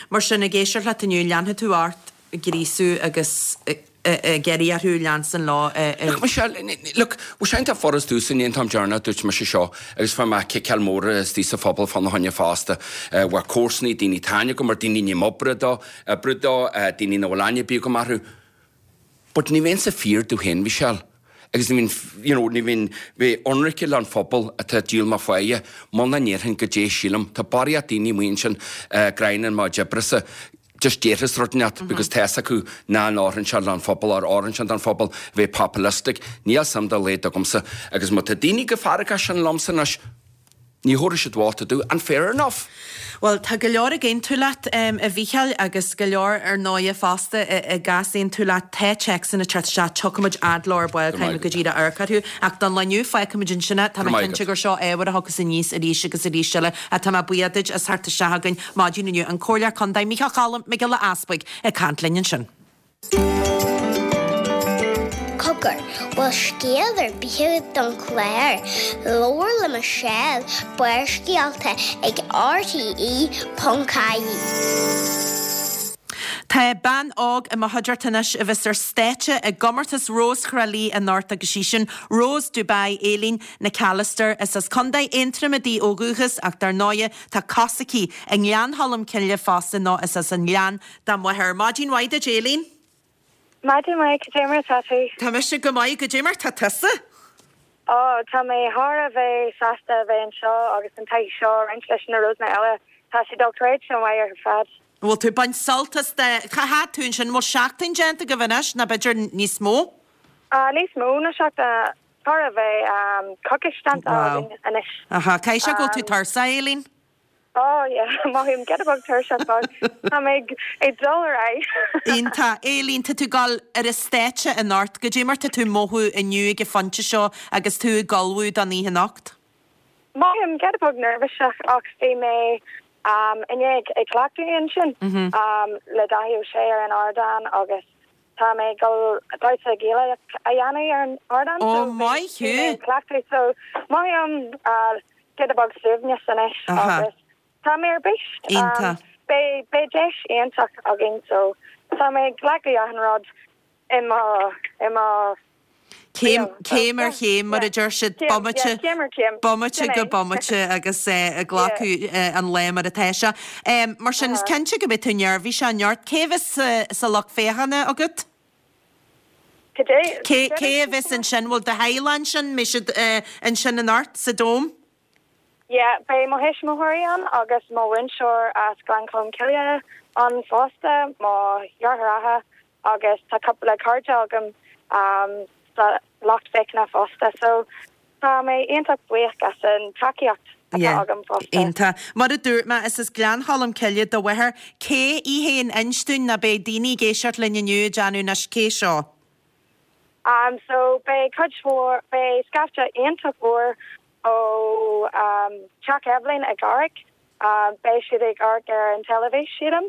Mar sin ag éisteacht leat inniu leanfaidh tú ort gríosú agus géirí arthú lean lá. Look, Michelle, look, bhí sé tá foras dús in tam dearna dúirt me sé seo agus fa me ciceal mór is tí sa phobal fan na haine fásta bhar cósnaí daoine taine go mar daoine ní obre dó brú dó daoine na bhfuil bí go marú. But ní bhíonn sa fíor tú héin Michelle. Agus ní bhíonn, you know, ní bhíonn bhí ionraice le an phobal atá díol má faie, muna ndéarfainn go dé sílim, Tá barraíocht daoine muin sin grein má debrasa just déarfas rud net because tá acu ná an áran se an phobal ar áran sin an phobal bheith populistic, níl sam da léad agumsa agus má tá daoine go fearga sin lomsa anois Ní thabharfaidh siad vóta domh, and fair enough. Bhuel, tá go leor ag aontú leat, a Mhícheáil, agus go leor ar ndóighe fosta ag easaontú leat. Tá téacsanna ag teacht isteach, tiocfaimid fhad leo ar ball, caithfimid go díreach amharc orthu. Ach don lá inniu, fágfaimid ansin é. Tá mé cinnte gur seo ábhar a thiocfas aníos arís agus arís eile. Ach tá mé buíoch duit as theacht isteach chugainn maidin inniu. An Comhairleoir Contae, Mícheál Cholm Mac Giolla Easbuig, ag caint linn ansin. Cogar, bhfuil scéal ar bith agat don chlár? Labhair le Michelle, Barrscéalta ag RTE ponc ie. Tá bean óg i mo chuideachta anois a bheas ar stáitse i gcomórtas Rós Thrá Lí anocht agus í sin Rose Dubai Aileen Nic Allister. Is as Contae Aontroma di ó dhúchas ach dar ndóighe tá cos aici i nGleann Cholm Cille fosta nó is as an nGleann dá máthair. Maidin mhaith duit Aileen. Maidin mhaith, cad é mar atá tú? Tá mise go maith, cad é mar tá tusa? Ó, tá mé thar a bheith sásta a bheith anseo agus an taithí seo a roinnt leis na Rosanna eile. Tá sé dochreidte maith ar fad. Bhfuil tú ag baint sult as de, cá fhad tú ansin, bhfuil seachtain déanta agaibh anois nó b'fhéidir níos mó? Ah, níos mó ná seachtain, chóir a bheith coicís déanta againn anois. Aha, caithfidh sé go bhfuil tú tuirseach, Aileen? Oh yeah, mothaím giota beag tuirseach but tá mé ag dul ar aghaidh. Iontach. Aileen, tá tú ag dul ar an stáitse anocht. Goidé mar tá tú ag mothú inniu ag an phointe seo agus tú ag ullmhú don oíche anocht? Mothaím giota beag neirbhíseach ach bhí mé inné ag cleachtadh ansin le Dáithí Ó Sé ar an ardán agus tá mé ag dul damhsa Gaelach a dhéanamh ar an ardán so bhí mé ag cleachtadh so mothaím giota beag suaimhneas anois agus tá mé ar bís. Iontach. Beidh beidh deis iontach againn so tá mé ag glacadh achan rud i mo i mo Céim céim ar chéim mar a deir siad, bomaite céim ar chéim. bomaite go bomaite agus ag glacadh an lae mar atá sé. Mar sin is cinnte go mbeidh tú neirbhíseach anocht. Cé a bheas sa lucht féachana agat? Cad é? Cé cé a bheas ansin? Bhfuil do theaghlach ansin? Mbeidh siad ansin anocht sa Dome? Yeah, beidh mo thuismitheoirí ann agus mo mhúinteoir as Gleann Cholm Cille ann fosta, mo dheartháireacha agus tá cúpla cairde agam sa lucht féachana fosta so tá mé iontach buíoch as an tacaíocht atá Yeah, agam fosta. iontach. Mar a dúirt mé, is as Gleann Cholm Cille do mháthair. Cé í féin? Inis dúinn nó beidh daoine ag éisteacht linn inniu ag déanamh anois cé seo? Um so beidh cuid mhór, beidh scaifte iontach mhór ó Teach Eibhlín i gCarraig. Beidh siad ag amharc ar an teilifís, sílim.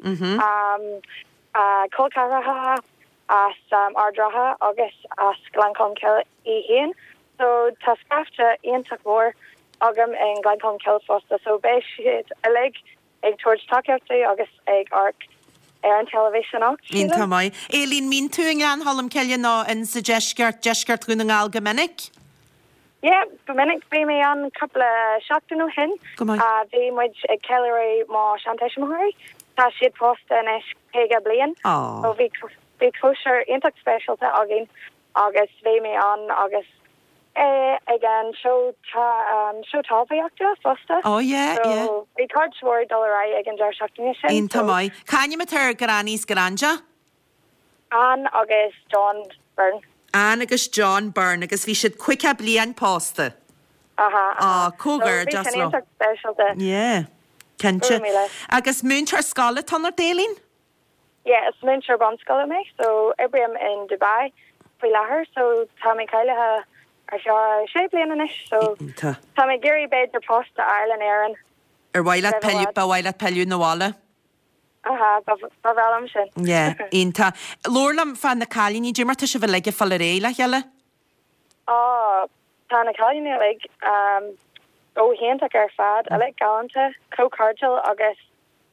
Col ceathracha as Ard Ratha agus as Gleann Cholm Cille í féin. So tá scaifte iontach mhór agam i nGleann Cholm Cille fosta. So beidh siad uilig ag tabhairt tacaíochta agus ag amharc ar an teilifís anocht, sílim. Iontach maith. Aileen, mbíonn tú i nGleann Cholm Cille nó in sa deisceart, deisceart Dhún na nGall go minic? Yeah, go minic. Bhí mé ann cúpla seachtain ó shin. Go maith. Bhí muid ag ceiliúradh mo sheantuismitheoirí. Tá siad pósta anois caoga bliain. Aww. So bhí bhí cóisir iontach speisialta againn agus bhí mé ann agus ag an seó seó talmhaíochta fosta. Oh yeah, yeah. So bhí cuid mhór ag dul ar aghaidh ag an deireadh seachtaine sin. Iontach maith. C'ainm atá ar Granny is Granda? Ann agus John Byrne. Ann agus John Byrne agus bhí siad caoga bliain pósta. Aha, aha. Á, comhghairdeas So bhí sin leo. iontach speisialta. Yeah, cinnte. Go raibh míle. Agus múinteoir scoile atá ionat, Aileen? Yeah, is múinteoir bunscoile mé, so oibrím in Dubai faoi láthair, so tá mé cáilithe ar feadh sé bliana anois, so Iontach. tá mé ag iarraidh b'fhéidir post a fháil in Éirinn. Ar mhaith leat Roimh i pilleadh, bhfad. ba mhaith leat pilleadh 'na bhaile? Aha, ba ba bhreá liom sin. Yeah, iontach. Labhair liom fá na cailíní, cad é mar tá sibh uilig ag fáil ar aghaidh le chéile? Á, tá na cailíní uilig um, go hiontach ar fad, uilig galánta, chomh cairdiúil agus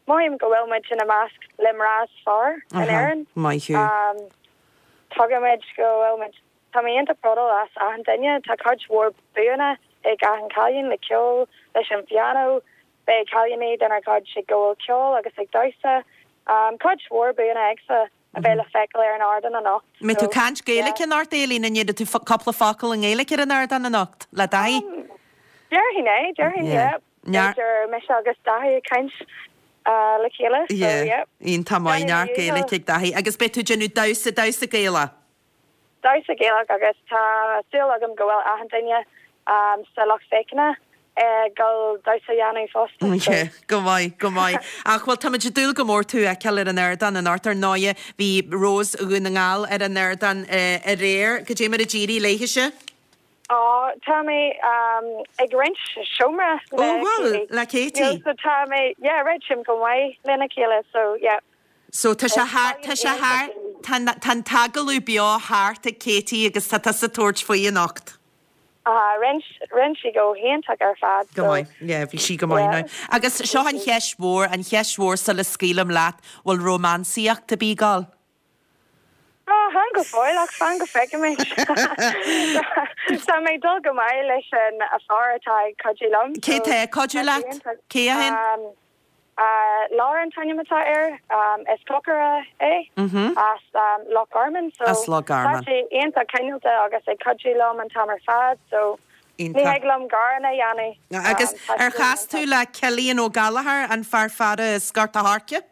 mothaím go bhfuil muid ina measc le mná is fearr in Aha, Éirinn. maith thú. Um, tuigimid go bhfuil muid tá mé iontach bródúil as achan duine, tá cuid mhór buanna ag achan cailín le ceol, leis an pianó, beidh cailíní denár gcuid ag gabháil ceoil agus ag damhsa. Um, cuid mhór buanna acu a bheidh le feiceáil ar an ardán anocht. Mbeidh tú So, caint Gaeilge yeah. anocht, Aileen, an ndéarfaidh tú fo- cúpla focal i nGaeilge ar an ardán anocht, le Dáithí? Um, Déarfainn é, déarfainn, Yeah. yeah. Near- B'fhéidir mise agus Dáithí ag caint uh, le chéile, so Yeah, yeah. iontach maith, Déanfaidh neart mé Gaeilge ag Dáithí. Agus beidh tú ag déanamh damhsa, damhsa Gaelach. Damhsa Gaelach agus tá súil agam go bhfuil achan duine um, sa lucht féachana ag dul damhsa a dhéanamh fosta. Ok, go maith, go maith. Ach bhuel, táimid ag dúil go mór tú a fheiceáil ar an ardán anocht. Ar ndóighe, bhí Rose Dhún na nGall ar an ardán aréir. Goidé mar a d'éirigh léithise? Á, tá mé ag roinnt seomra le Ó, bhuel, le Katie. So tá mé, yeah, réitím go maith lena chéile, so yeah. So tá sé thar, tá sé thar, tá an t-agallamh beo thart ag Katie agus tá tusa ag tabhairt faoi anocht. Ah, rinne, rinne sí go hiontach ar fad. Go maith, yeah, bhí sí go maith now. Agus seo an cheist mhór, an cheist mhór sula scaoilim leat, bhfuil rómánsaíocht ar bith ag gabháil? Ah, chan go fóill ach fan go bhfeicfimid. Tá mé ag dul go maith leis an fear atá ag cuidiú liom. Cé tá ag cuidiú leat? Cé a shin? Lauren an t-ainm atá air, is cócaire é as Loch Garman. So As Loch Garman. Tá sé iontach cineálta agus ag cuidiú liom an t-am ar fad so ní thig liom gearán a dhéanamh. Agus ar chas tú le Cillian Ó Gallchóir, an fear faire as Gort a' Choirce?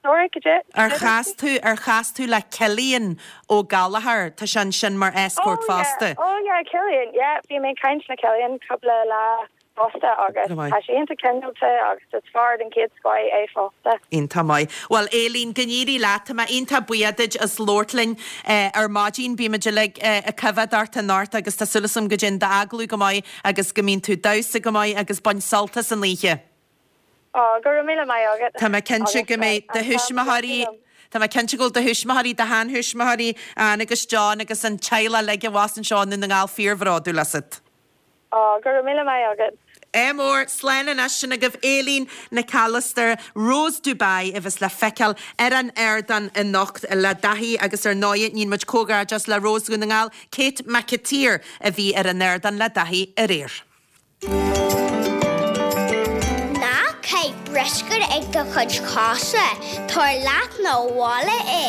Sorry, could you? Ar chas tú, ar chas tú le Cillian Ó Gallchóir? Tá sé ansin mar escort Oh yeah, fosta. oh yeah, Cillian, yeah, bhí mé ag caint le Cillian cúpla lá fosta agus Go maith. tá sé iontach cineálta agus is fear den chéad scoth é fosta. Iontach maith. Bhuel, Aileen, go n-éirí leat, tá mé iontach buíoch duit as labhairt linn ar maidin. Bímid uilig ag coimhéad ort anocht agus tá súil agam go dtéann d'agallamh go maith agus go mbíonn tú ag damhsa go maith agus bain sult as an oíche. Ó, go raibh míle maith agat. Tá mé cinnte go mbeidh do thuismitheoirí, tá mé cinnte go bhfuil do thuismitheoirí, do sheanthuismitheoirí, Anne agus John agus an teaghlach uilig abhus anseo i nDún na nGall fíorbhródúil asat. Ó, go raibh míle maith agat. Ádh mór, slán anois sin agaibh Aileen Nic Alastair, Rose Dubai a bheas le feiceáil ar an ardán anocht le Daithí agus ar ndóigh níonn muid comhghairdeas le Rose Dhún na nGall, Kate McAteer a bhí ar an ardán le Daithí aréir. Ná caith bruscar ag do chuid cosa, tabhair leat 'na bhaile é.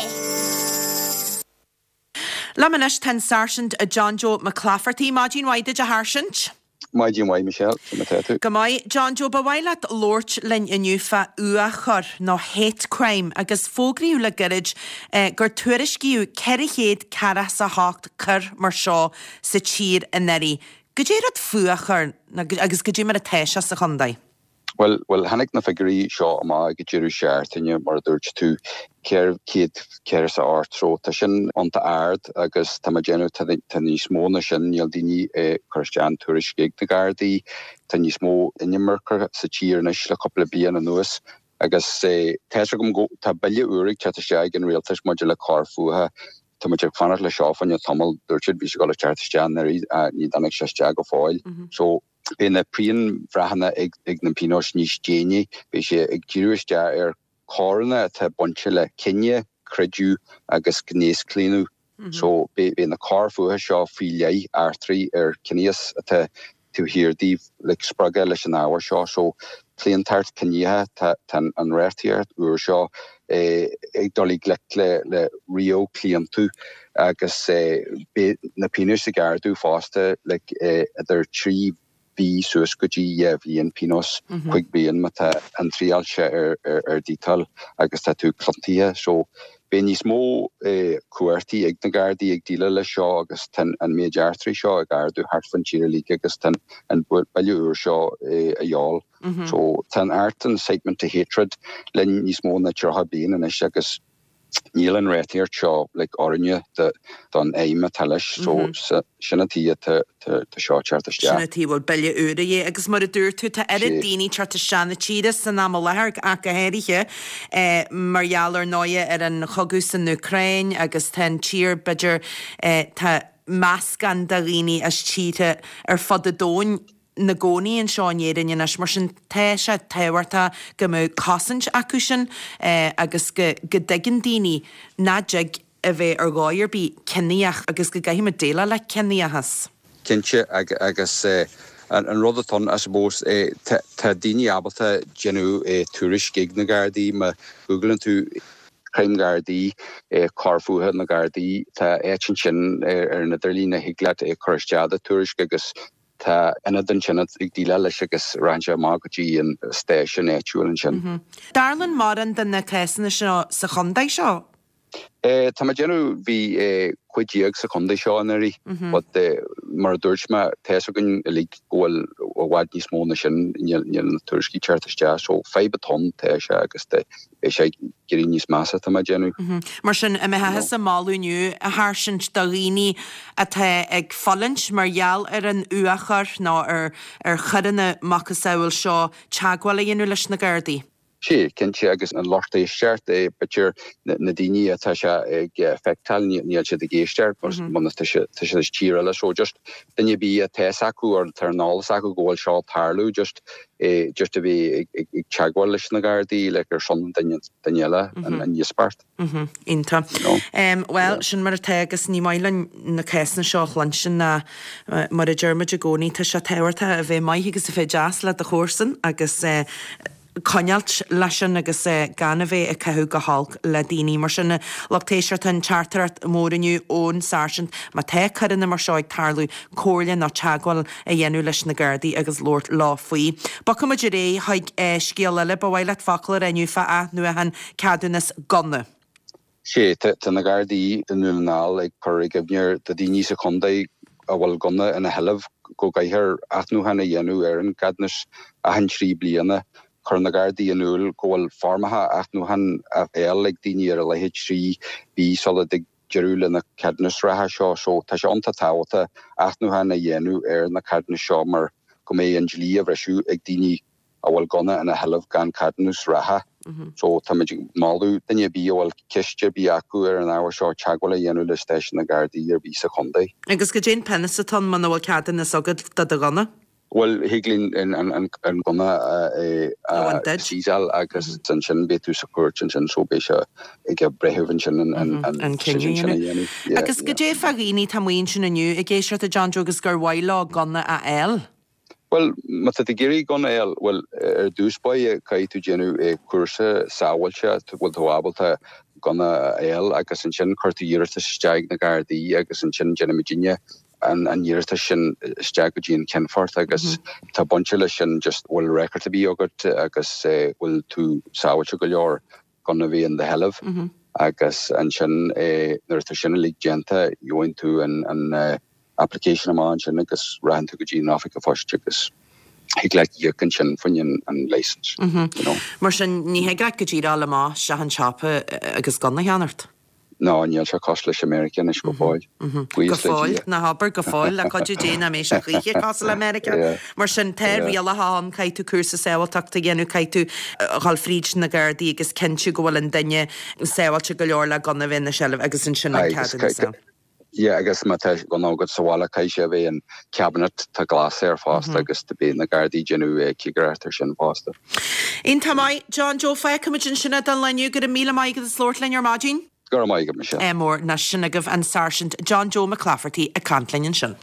Liom anois tá an Sáirsint John Joe McClafferty. Maidin mhaith duit a Sháirsint. Maidin mhaith Michelle, conas atá tú. Go maith, John Joe, ba mhaith leat labhairt linn inniu fá fhuathchoir nó hate crime agus fógraíodh le gairid gur tuairiscíodh ceithre chéad ceathracha is a hocht coir mar seo sa tír anuraidh. Goidé rud fuathchoir agus goidé mar atá sé sa chontae? Bhuel, bhuel, tháinig na figiúirí seo amach ag deireadh seachtaine, mar a dúirt tú, ceithre chéad ceathracha is a hocht, so tá sin iontach ard agus tá mé ag déanamh, tá, tá níos mó ná sin, níl daoine ag cur isteach an tuairisc ag na Gardaí, tá níos mó inimirce sa tír anois le cúpla bliain anuas agus tá's agam go, tá bille úr ag teacht isteach ag an rialtas maidir le coir fuatha, tá muid ag fanacht le seo fá choinne tamall, dúirt siad bhí sé ag dul a teacht isteach anuraidh, ní dtáinig sé isteach go fóill. So. Beidh na pianbhreitheanna ag na pionóis níos déine. Beidh sé ag díriú isteach ar choireanna atá bainte le cine, creideamh agus gnéaschlaonadh. So beidh na coir fuatha seo faoi leith eachtraí ar ciníochas atá taobh thiar díobh, like spreagtha leis an ábhar seo. So claontacht ciníocha, tá an reachtaíocht úr seo ag dul i ngleic le ríomhchlaontú agus beidh na pionóis ag ardú fosta, like idir trí mhí suas go dtí dhá bhliain pionós, cúig bliain má tá an triail sé ar díotáil agus tá tú ciontaithe. So beidh níos mó cumhachtaí ag na Gardaí ag déileáil leis seo agus tá an méid eachtraí seo ag ardú thart fán tír uilig agus tá an bille úr seo a dhíobháil. So tá an Act Incitement to Hatred linn níos mó ná tríocha bliain anois agus níl an reachtaíocht seo like oiriúnach don fheidhm atá leis so sin an tuige tá seo ag teacht isteach. Sin an tuige a bhfuil bille úr a dhíth agus mar a dúirt tú tá oiread daoine ag teacht isteach na tíre san am i láthair ach go háirithe mar gheall ar ndóighe ar an chogadh san Úcráin agus tá an tír b'fhéidir tá meascán de dhaoine as tíortha ar fud an domhain 'na gcónaí anseo in Éirinn anois, mar sin tá sé tábhachtach go mbeadh cosaint acu sin agus go go dtuigeann daoine nach dtig a bheith ar dhóigh ar bith ciníoch agus go gcaithfidh muid déileáil le ciníochas. Cinnte, agus an rud atá ann, I suppose, tá daoine ábalta déanamh tuairisc ag na Gardaí, má Googlann tú crime Gardaí, coir fuatha na Gardaí, tá áit ansin ar an idirlíon a thig leat cur isteach do tuairisc agus Tá ionad ansin ag déileáil leis agus rachaidh sé amach go dtí an stáisiún áitiúil ansin. Tarlaíonn mórán de na cásanna seo sa chontae seo? Tá mé ag déanamh, bhí cúig déag sa chontae seo anuraidh but mar a dúirt mé tá a fhios againn uilig go bhfuil i bhfad níos mó na sin níl na tuairiscí teacht isteach so fadhb atá ann tá sé agus beidh sé ag éirí níos measa tá mé ag déanamh. Mar sin an mbeifeá thusa ag moladh inniu a Sháirsint do dhaoine atá ag fulaingt mar gheall ar an fhuathchoir nó ar ar choireanna macasamhail seo teagmháil a dhéanamh leis na Gardaí? Sea, cinnte, agus an lucht éisteachta, b'fhéidir na daoine atá sé ag feiceáil, níl siad ag éisteacht mar tá siad i tír eile so just duine ar bith atá fhios acu or tá an eolas acu go bhfuil seo ag tarlú just just a bheith ag teagmháil leis na Gardaí like ar son duine duine eile an íospairt. Iontach. Bhuel, sin mar atá agus ní maith linn na cásanna seo a chluinstin ná mar a deir muid i gcónaí tá sé tábhachtach a bheith maith agus a bheith deas le do chomharsan agus coinneáilt leis sin agus gan a bheith ag caitheamh go holc le daoine. Mar sin, lucht éisteachta, an teachtaireacht mhór inniu ón Sáirsint, má tá coireanna mar seo ag tarlú, comhairle nó teagmháil a dhéanamh leis na Gardaí agus labhairt leo faoi. Bogfaidh muid ar aghaidh chuig scéal eile. Ba mhaith leat focal a rá inniu fá athnuachan ceadúnas gunna. Sea, tá na Gardaí i nDún na nGall ag cur i gcuimhne do dhaoine sa chontae a bhfuil gunna ina sheilbh go gcaithfear athnuachan a dhéanamh ar an gceadúnas achan trí bliana. Chuir na Gardaí in iúl go bhfuil foirmeacha athnuachan á fháil ag daoine ar a laghad trí mhí sula dtig deireadh le na ceadúnais reatha seo so tá sé iontach tábhachtach athnuachan a dhéanamh ar na ceadúnais seo mar go mbeidh an dlí á bhriseadh ag daoine a bhfuil gunna ina sheilbh gan ceadúnas reatha. So táimid ag moladh duine ar bith a bhfuil ceist ar bith acu ar an ábhar seo teagmháil a dhéanamh le stáisiún na Gardaí ar bith sa chontae. Agus goidé an pionós atá ann muna bhfuil ceadúnas agat do do ghunna? Bhuel, thig linn an gunna a seizeáil agus ansin beidh tú sa chúirt ansin so beidh sé ag an breitheamh ansin an cinneadh sin a dhéanamh. Agus goidé fá dhaoine atá amuigh ansin inniu ag éisteacht a John Joe agus gur mhaith leo gunna a fháil? Bhuel, má tá tú ag iarraidh gunna a fháil, bhuel, ar dtús báire caithfidh tú déanamh cúrsa sábháilte, bhfuil tú ábalta gunna a fháil agus ansin cuir tú iarratas isteach ag na Gardaí agus ansin déanfaidh muidinne an an iarratas sin isteach go dtí an Ceannfort agus tá bainte leis sin just bhfuil record ar bith agat agus bhfuil tú sábháilte go leor gunna a bheith in do sheilbh agus ansin nuair atá sin uilig déanta gheobhaidh tú an an application amach ansin agus rachaidh tú go dtí an oifig an phoist agus thig leat íoc ansin fá choinne an license. You know. Mar sin ní thig leat go díreach dul amach isteach an tsiopa agus gunna a cheannacht? No, níl sé cosúil leis America anois go fóill. Go fóill, ná habair go fóill, le cuidiú Dé nach mbeidh sé choíche cosúil le Meiriceá. Mar sin tá rialacha ann, caithfidh tú cúrsa sábháilteachta a dhéanamh, caithfidh tú a dhul fríd na Gardaí agus cinntiú go bhfuil an duine sábháilte go leor le gunna a bheith ina sheilbh agus ansin an ceadúnas a. Yeah agus má tá gunna agat sa bhaile caithfidh sé a bheith in cabinet tá glas air fosta agus do beidh na Gardaí ag déanamh cigireacht ar sin fosta. Iontach maith, John Joe, fágfaimid ansin é don lá inniu. Go raibh míle maith agat as labhairt linn ar maidin. Go raibh maith agat, Michelle. Ádh mór. Anois sin agaibh an Sáirsint John Joe McClafferty ag caint linn ansin.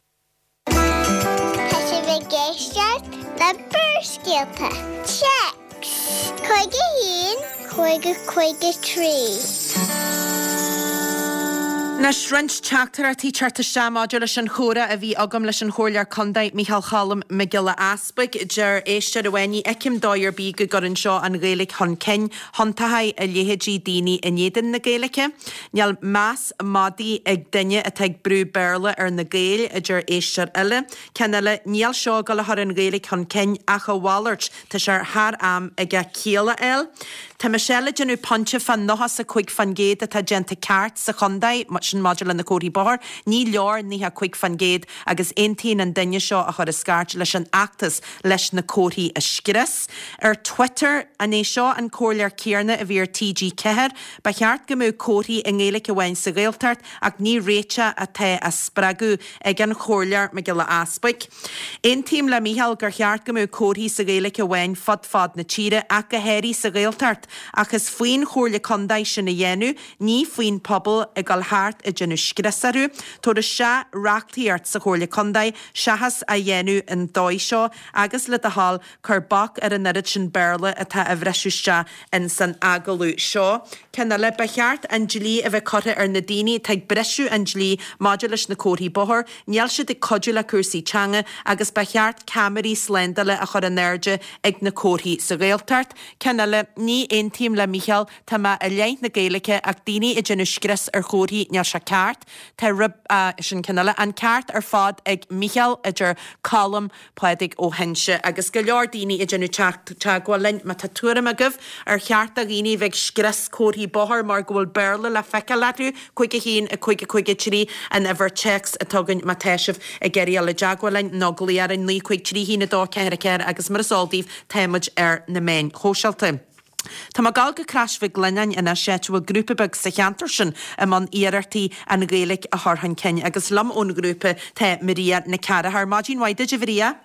Tá sibh ag éisteacht le Barrscéalta. Téacs cúig a haon, cúig a cúig a trí. Anois, roinnt teachtaireachtaí ag teacht isteach maidir leis an chomhrá a bhí agam leis an Chomhairleoir Contae Micheál Cholm Mac Giolla Easpaig. Deir éisteoir amháin, ní fheicim dóigh ar bith go gcuireann seo an Ghaeilge chun cinn, thiontódh a leithéidí daoine in éadan na Gaeilge. Níl meas madaidh ag duine atá ag brú Béarla ar na Gaeil, a deir éisteoir eile. Ceann eile, níl seo ag dul a chur an Ghaeilge chun cinn ach a mhalairt, tá sé thar am aige ciall a fháil. Tá Michelle ag déanamh pointe fán nócha 's a cúig fán gcéad atá déanta ceart sa chontae, sin maidir le na comharthaí bóthair. Ní leor naocha cúig fán gcéad agus aontaíonn an duine seo a chuir an scairt leis an fheachtas leis na comharthaí a scrios. Ar Twitter, an é seo an comhairleoir céanna a bhí ar T G ceathair? Ba cheart go mbeadh comharthaí i nGaeilge amháin sa Ghaeltacht ach ní réiteach atá á spreagadh ag an Chomhairleoir Mac Giolla Easpaig. Aontaím le Mícheál gur cheart go mbeadh comharthaí sa Ghaeilge amháin fud fad na tíre ach go háirithe sa Ghaeltacht. Ach is faoin Chomhairle Contae sin a dhéanamh, ní faoin pobal ag dul thart ag déanamh scrios orthu. Tabhair isteach reachtaíocht sa Chomhairle Contae seachas á dhéanamh an dóigh seo agus le do thoil cuir bac ar an oiread sin Béarla atá á bhriseadh isteach ins an agallamh seo. Ceann eile, ba cheart an dlí a bheith curtha ar na daoine atá ag briseadh an dlí maidir leis na comharthaí bóthair. Níl siad ag cuidiú le cúrsaí teanga agus ba cheart ceamaraí slándála a chur in airde ag na comharthaí sa Ghaeltacht. Ceann eile, ní Aontaím le Mícheál, tá mé i leith na Gaeilge ach daoine ag déanamh scrios ar chomharthaí, níl sé ceart. Tá rib, sin ceann eile. An ceart ar fad ag Mícheál, a deir Colm Pádraig ó hInse. Agus go leor daoine ag déanamh teacht teagmháil linn, má tá tuairim agaibh ar cheart do dhaoine bheith ag scrios comharthaí bóthair mar go bhfuil Béarla le feiceáil orthu, cúig a haon, a cúig a cúig a trí an uimhir téacs atá againn má tá sibh ag iarraidh dul i dteagmháil linn nó glaoch orainn naoi cúig trí haon a dó ceathair a ceathair agus mar is eol daoibh tá muid ar na meáin shóisialta. Tá mé ag gabháil go Crois Mhic Lionnáin anois áit a bhfuil grúpa beag sa cheantar sin i mbun iarrachtaí an Ghaeilge a chur chun cinn agus liom ón ghrúpa tá Maria Nic Cearaitheoir. Maidin mhaith duit a Mharia.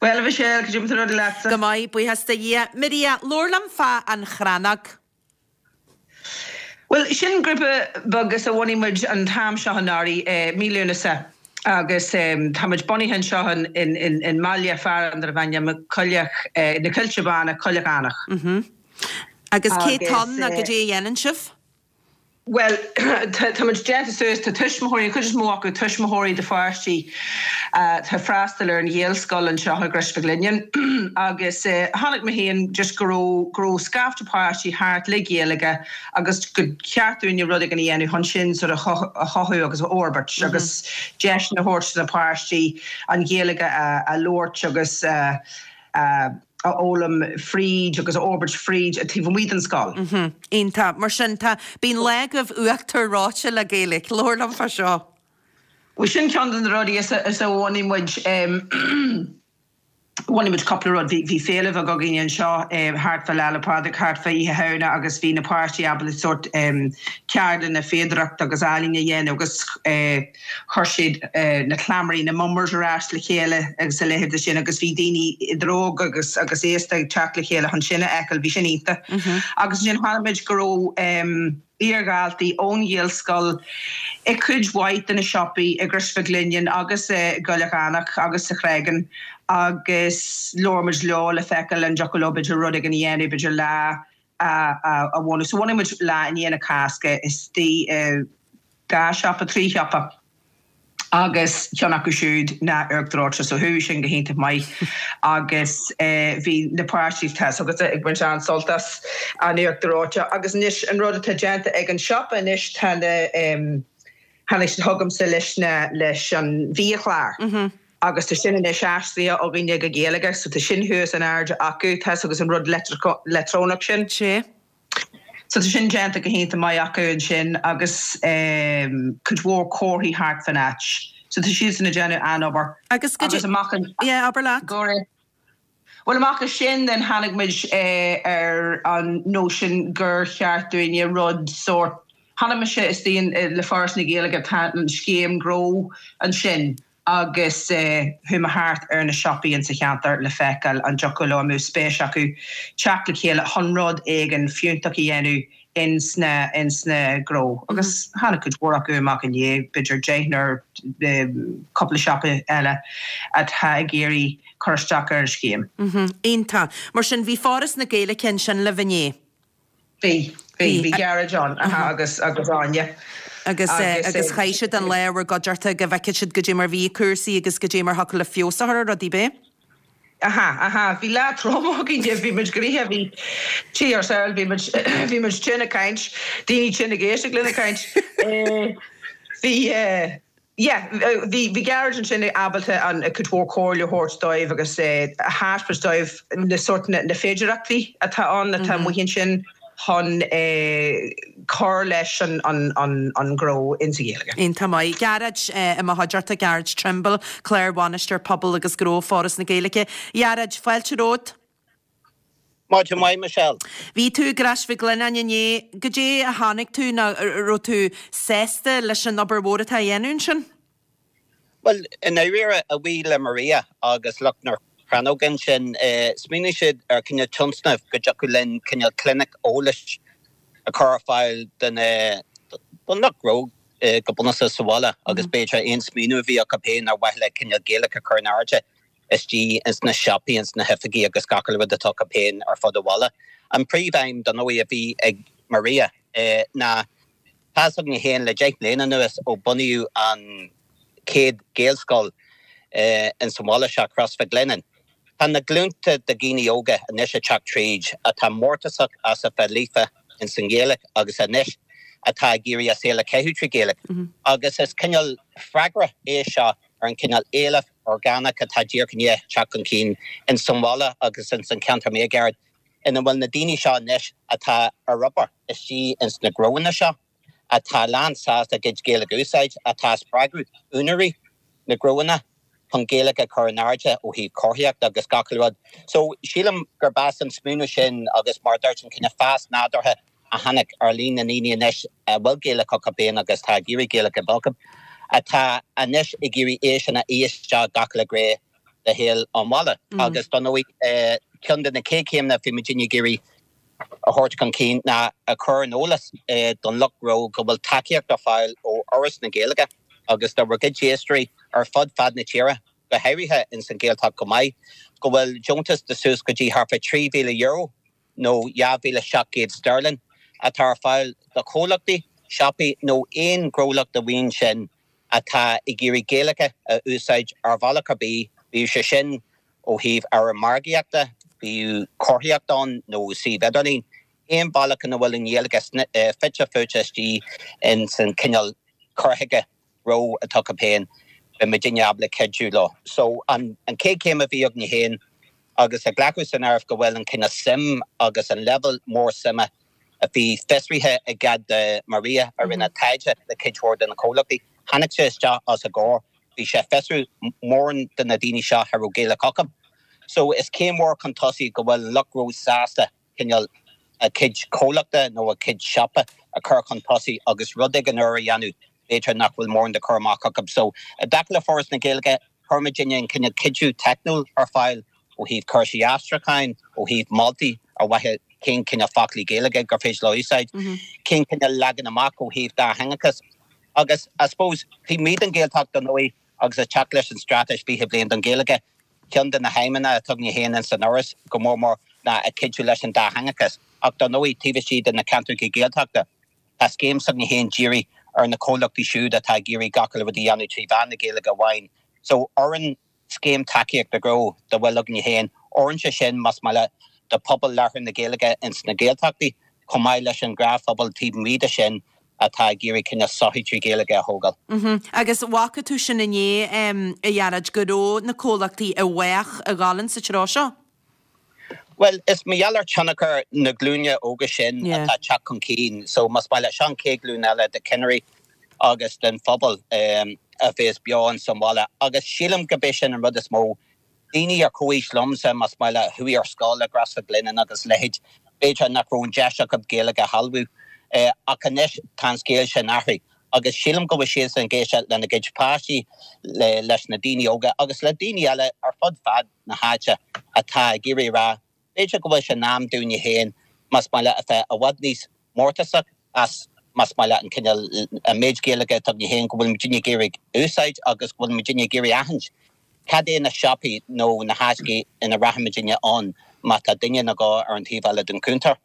Bhuel a Mhichelle, cad é mar tá rudaí leatsa? Go maith, buíochas do Dhia. Maria, labhair liom fá An Chrannóg. Bhuel, sin grúpa beag is a bhunaigh muid an t-am seo anuraidh, mí Lúnasa, agus tá muid bunaithe anseo in mbaile fearainn darb ainm Coilleach, na Coillte Bána, Coilleach Eanach. Agus cé tá ann nó goidé a dhéanann sibh? Bhuel, tá muid déanta suas, tá tuismitheoirí, an chuid is mó acu tuismitheoirí de pháistí atá ag freastal ar an Ghaelscoil anseo i gCrois Mhic Lionnáin agus chonaic mé féin just go raibh, go raibh scaifte páistí thart le Gaeilge agus gur cheart dúinne rud éigin a dhéanamh chun sin sort of a chothú agus a fhorbairt agus deiseanna a thabhairt do na páistí an Ghaeilge a labhairt agus a a fhoghlaim fríd agus a fhorbairt fríd taobh amuigh den scoil. Iontach. Mar sin, tá, bíonn lá agaibh uachtar reoite le Gaeilge. Labhair liom fá seo. Bhuel, sin ceann de na rudaí is a, is a bhunaigh muid, bhunaigh muid cúpla rud. Bhí, bhí féile bheag againn anseo thart fá Lá 'le Pádraig, thart fá Oíche Shamhna agus bhí na páistí ábalta sórt ceardlanna fíodóireachta agus ealaíne a dhéanamh agus chuir siad na cleamairí, na mummers ar ais le chéile agus a leithéid de sin agus bhí daoine idir óg agus agus aosta ag teacht le chéile chun sin a fheiceáil, bhí sin iontach. Agus ansin chonaic muid go raibh iardhaltaí ón Ghaelscoil i cuid mhaith de na siopaí i gCrois Mhic Lionnáin agus i gCoilleach Eanach agus sa Chreagán agus labhair muid leo le feiceáil an dtiocfadh leo b'fhéidir rud éigin a dhéanamh, b'fhéidir lá a bhunú. So bhunaigh muid lá i ndiaidh na Cásca istigh i dhá shiopa, trí shiopa agus ceann acu siúd ná Uachtar Reoite so chuaigh sin go hiontach maith agus bhí na páistí, tá a fhios agatsa, ag baint an-sult as an uachtar reoite agus anois an rud atá déanta ag an siopa anois tá na tháinig siad chugamsa leis na leis an bhiachlár agus tá sin anois aistrithe againne go Gaeilge so tá sin thuas in airde acu, tá a fhios agat an rud leictreonach sin. Sea. So tá sin déanta go hiontach maith acu ansin agus cuid mhór comharthaí thart fan áit. So tá siadsan ag déanamh an-obair. Agus go Agus amach an. Yeah, abair leat. Go raibh. Bhuel amach as sin then tháinig muid ar an nóisean gur cheart dúinne rud sórt, chonaic mise istigh le Foras na Gaeilge tá an scéim gnó ansin agus chuaigh mé thart ar na siopaí insa cheantar le feiceáil an dtiocfadh leo, an mbeadh spéis acu teacht le chéile chun rud éigin fiúntach a dhéanamh ins na ins na gnó. Agus tháinig cuid mhór acu amach inné, b'fhéidir deichniúr, cúpla siopa eile atá ag iarraidh cur isteach ar an scéim. Iontach. Mar sin, bhí Foras na Gaeilge ansin libh inné? Bhí, bhí, bhí Gearóid ann, aha, agus, agus Áine. Agus, agus chaith siad an lá i bhur gcuideachta go bhfeicfeadh siad goidé mar bhí cúrsaí agus goidé mar thiocfadh le feabhas a chur ar rudaí, b'é? Aha, aha, bhí lá trom againn, bhí muid gnoitheach, bhí, tí ár saol, bhí muid, bhí muid tinn ag caint, daoine tinn ag éisteacht linn ag caint. Bhí, Yeah, bhí bhí Gearóid ansin ábalta an cuid mhór comhairle a thabhairt dóibh agus a thaispeáint dóibh na sórt na na féidearthachtaí atá ann atá amuigh ansin chun cur leis an an an an gnó insa Ghaeilge. Iontach maith. Gearóid i mo chuideachta, Gearóid Trimble, Clár-Bhainisteoir Pobail agus Gnó, Foras na Gaeilge. A Ghearóid, fáilte romhat. Maidin mhaith, Michelle. Bhí tú i gCrois Mhic Lionnáin inné. Goidé a chonaic tú nó raibh tú sásta leis an obair mhór atá á dhéanamh ansin? Bhuel, i ndáiríre, a bhuí le Maria agus lucht na Crannóige ansin, smaoinigh siad ar cineál tionscnamh go dtiocfadh linn cineál clinic eolais a chur ar fáil do na, don lucht gnó go bunúsach sa bhaile agus b'fhéidir aon smaoineamh a bhí acu féin ar mhaithe le cineál Gaeilge a chur in airde. istigh ins na siopaí, ins na hoifigí agus gach uile rud atá acu féin ar fud an bhaile. An príomh-aidhm, dar ndóigh, a bhí ag Maria ná, tá fhios againn féin le deich mbliana anuas ó bunaíodh an chéad Ghaelscoil ins an bhaile seo, Crois Mhic Lionnáin, Tá na glúnta de dhaoine óga anois ag teacht tríd atá mórtasach as a bheith líofa ins an Ghaeilge agus anois atá ag iarraidh a saol a chaitheamh trí Ghaeilge. Agus is cineál freagra é seo ar an cineál éileamh orgánach atá díreach i ndiaidh teacht chun cinn ins an bhaile agus ins an cheantar máguaird ina bhfuil na daoine seo anois atá ar obair istigh ins na gnóanna seo, atá lán sásta a gcuid Gaeilge a úsáid, atá ag spreagadh úinéirí na ngnóanna chun Gaeilge a chur in airde ó thaobh comharthaíochta agus gach uile rud. So, sílim gurb as an smaoineamh sin agus mar a dúirt an cineál fás nádúrtha a tháinig ar líon na ndaoine anois a bhfuil Gaeilge acu féin agus atá ag iarraidh Gaeilge a bheith acu, atá anois ag iarraidh é sin a fhí isteach gach uile ghné de shaol an bhaile. Agus dar ndóigh, ceann de na chéad chéimeanna a bhí muidinne ag iarraidh a thabhairt chun cinn ná a chur ar an eolas don lucht gnó go bhfuil tacaíocht ar fáil ó Fhoras na Gaeilge agus do bhur gcuid éisteoirí ar fud fad na tíre, go háirithe ins an Ghaeltacht chomh maith, go bhfuil deontas de suas go dtí thart fá trí mhíle euro nó dhá mhíle seacht gcéad sterling atá ar fáil do chomhlachtaí, siopaí nó aon ghnólacht amháin sin atá ag iarraidh Gaeilge a úsáid ar bhealach ar bith, bíodh sé sin ó thaobh ábhar margaíochta, bíodh comharthaíocht ann nó suíomh idirlín, aon bhealach ina bhfuil an Ghaeilge fite fuaite istigh ins an cineál cur chuige gnó atá acu féin, beidh muidinne ábalta cuidiú leo. So an chéad chéim a bhí againne féin agus ag glacadh san áireamh go bhfuil an cineál suim agus an leibhéal mór suime a bhí fiosraithe i gcead do Maria a rinne taighde le cuid mhór de na comhlachtaí, tháinig sé isteach os a gcomhair, bhí sé ag fiosrú mórán de na daoine seo a raibh Gaeilge acu. So is céim mhór chun tosaigh go bhfuil an lucht gnó sásta cineál a gcuid comhlachta nó a gcuid siopa a chur chun tosaigh agus rud éigin úr a dhéanamh b'fhéidir nach bhfuil mórán de chur amach acu. So i dtaca le Foras na Gaeilge, chuir muidinne an cineál cuidiú teicniúil ar fáil ó thaobh cúrsaí aistriúcháin, ó thaobh moltaí ar mhaithe cén cineál foclaí Gaeilge gur féidir leo a úsáid, cén cineál leagan amach ó thaobh dátheangachas. Agus I suppose taobh amuigh den Ghaeltacht dar ndóigh agus ag teacht leis an Straitéis fiche Bliain don Ghaeilge, ceann de na haidhmeanna atá againne féin ins an Fhoras go mór mór ná ag cuidiú leis an dátheangachas. Ach dar ndóigh taobh istigh de na ceantracha Gaeltachta, tá scéim s'againne féin dírithe ar na comhlachtaí siúd atá ag iarraidh gach uile rud a dhéanamh trí mheán na Gaeilge amháin. So oireann scéim tacaíochta gnó dá bhfuil againne féin, oireann sé sin más maith leat do phobal labhartha na Gaeilge ins na Gaeltachtaí chomh maith leis an ghnáthphobal taobh amuigh de sin atá ag iarraidh cineál sochaí trí Ghaeilge a thógáil. Agus bhfaca tú sin inné, a Ghearóid, go raibh na comhlachtaí i bhfách ag gabháil sa treo seo? Bhuel, is mar gheall ar tionchar na glúine óga sin atá ag teacht chun cinn. So, más maith leat, seo an chéad ghlúin eile de chinnirí agus den phobal a bheas beo ins an bhaile. Agus sílim gurb é sin an rud is mó. Daoine ar comhaois liomsa, más maith leat, a chuaigh ar scoil le Gresford Glennon agus a leithéid, b'fhéidir nach raibh an deis acu Gaeilge a shealbhú. Ach anois tá an scéal sin athraithe. Agus sílim go bhfuil siadsan ag éisteacht lena gcuid páistí, leis na daoine óga agus le daoine eile ar fud fad na háite atá ag iarraidh a rá, b'fhéidir go bhfuil sé in am dúinne féin, más maith leat, a bheith i bhfad níos mórtasach as, más maith leat, an cineál, an méid Gaeilge atá againne féin, go bhfuil muidinne ag iarraidh úsáid agus go bhfuil muidinne ag iarraidh aithint cad é na siopaí nó na háiteacha ina rachaidh muidinne ann má tá duine ina gá ar an taobh eile den chuntar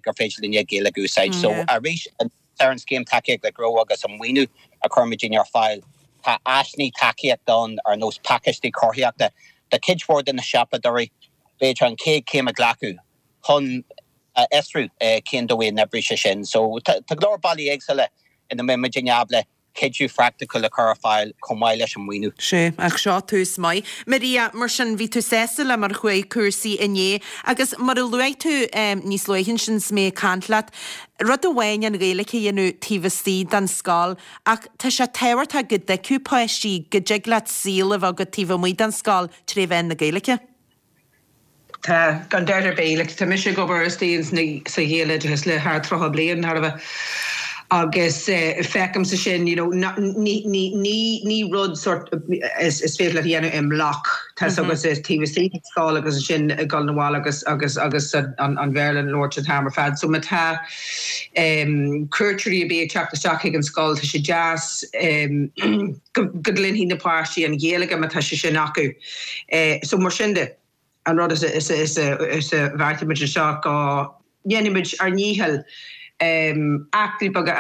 gur féidir linne Gaeilge a úsáid. So arís, ar an scéim tacaíochta gnó agus an maoiniú a chuir muidinne ar fáil, tá áiseanna tacaíochta ann ar nós pacáistí comharthaíochta do chuid mhór de na siopadóirí, b'fhéidir an chéad chéim a ghlacadh chun a fhiosrú cén dóigh a n-oibreoidh sé sin. So tá go leor bealaí éagsúla ina mbeidh muidinne ábalta cuidiú phraiticiúil a chur ar fáil chomh maith leis an maoiniú. Sea, ach seo tús maith. Maria, mar sin, bhí tú sásta le mar a chuaigh cúrsaí inné agus mar a luaigh tú níos luaithe ansin 's mé ag caint leat, rud amháin an Ghaeilge a dhéanamh taobh istigh den scoil ach tá sé tábhachtach go dtuigfeadh páistí go dtig leat saol a bheith agat taobh amuigh den scoil tré mheán na Gaeilge. Tá, gan dabht ar bith. Like, tá mise ag obair istigh sa Ghaeloideachas le thar tríocha bliain, thar a bheith, agus feicimse sin, you know, ní, ní, ní, ní rud sort is, is féidir leat a dhéanamh i mbloc, tá 's agat, is taobh istigh den scoil agus ansin ag dul 'na bhaile agus, agus, agus an, an Bhéarla a labhairt an t-am ar fad. So má tá cuairteoirí ar bith ag teacht isteach chuig an scoil, tá sé deas go, go gcluinfidh na páistí an Ghaeilge má tá sé sin acu. So mar sin de. An rud is a bheartaigh muid anseo go ndéanfaidh muid ár ndícheall eachtraí beaga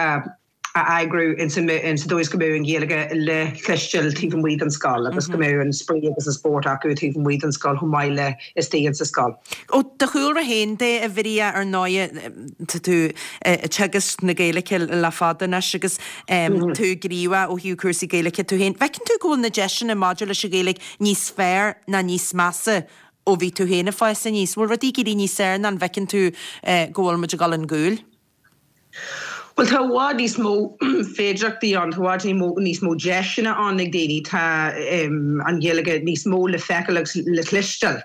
a a eagrú in sa dóigh is go mbeadh an Ghaeilge le cloisteáil taobh amuigh den scoil agus go mbeadh an spraoi agus an spórt acu taobh amuigh den scoil chomh maith le istigh insa scoil. Ó do chúlra féin de, a Mharia, ar ndóighe, tá tú ag teagasc na Gaeilge le fada anois agus tú gníomhach ó thaobh cúrsaí Gaeilge tú féin. Bhfeiceann tú go bhfuil na deiseanna maidir leis an Ghaeilge níos fearr ná níos measa ó bhí tú féin ag fás aníos? Bhfuil rudaí ag éirí níos fearr ná an bhfeiceann tú go bhfuil muid ag dul chun cúil? Bhuel, tá i bhfad níos mó féidearthachtaí ann, tá i bhfad níos mó deiseanna ann ag daoine, tá an Ghaeilge níos mó le feiceáil agus le cloisteáil.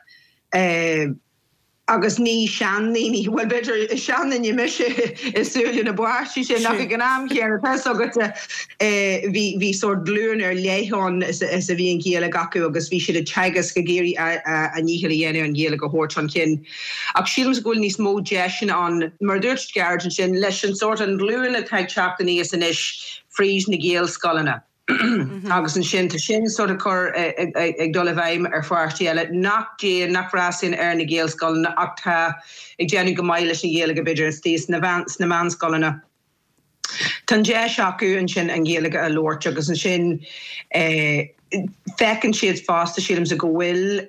Agus ní seandaoine, bhuel b'fhéidir is seanduine mise i súile na bpáistí sin ach ag an am chéanna tá fhios agat bhí bhí sórt glúin ar leith ann is a bhí an Ghaeilge acu agus bhí siad ag teagasc ag iarraidh a ndícheall a dhéanamh an Ghaeilge a thabhairt chun cinn. Ach sílimse go bhfuil níos mó deiseanna ann, mar a dúirt Gearóid ansin, leis an sórt an ghlúin atá ag teacht aníos anois fríd na Gaelscoileanna. Agus ansin tá sin sórt ag cur ag dul i bhfeidhm ar pháistí eile nach dtéann, nach bhfreastalaíonn ar na Gaelscoileanna ach tá ag déanamh go maith leis an Ghaeilge b'fhéidir istigh sna meánscoileanna. Tá an deis acu ansin an Ghaeilge a labhairt agus ansin feiceann siad fosta, sílimse, go bhfuil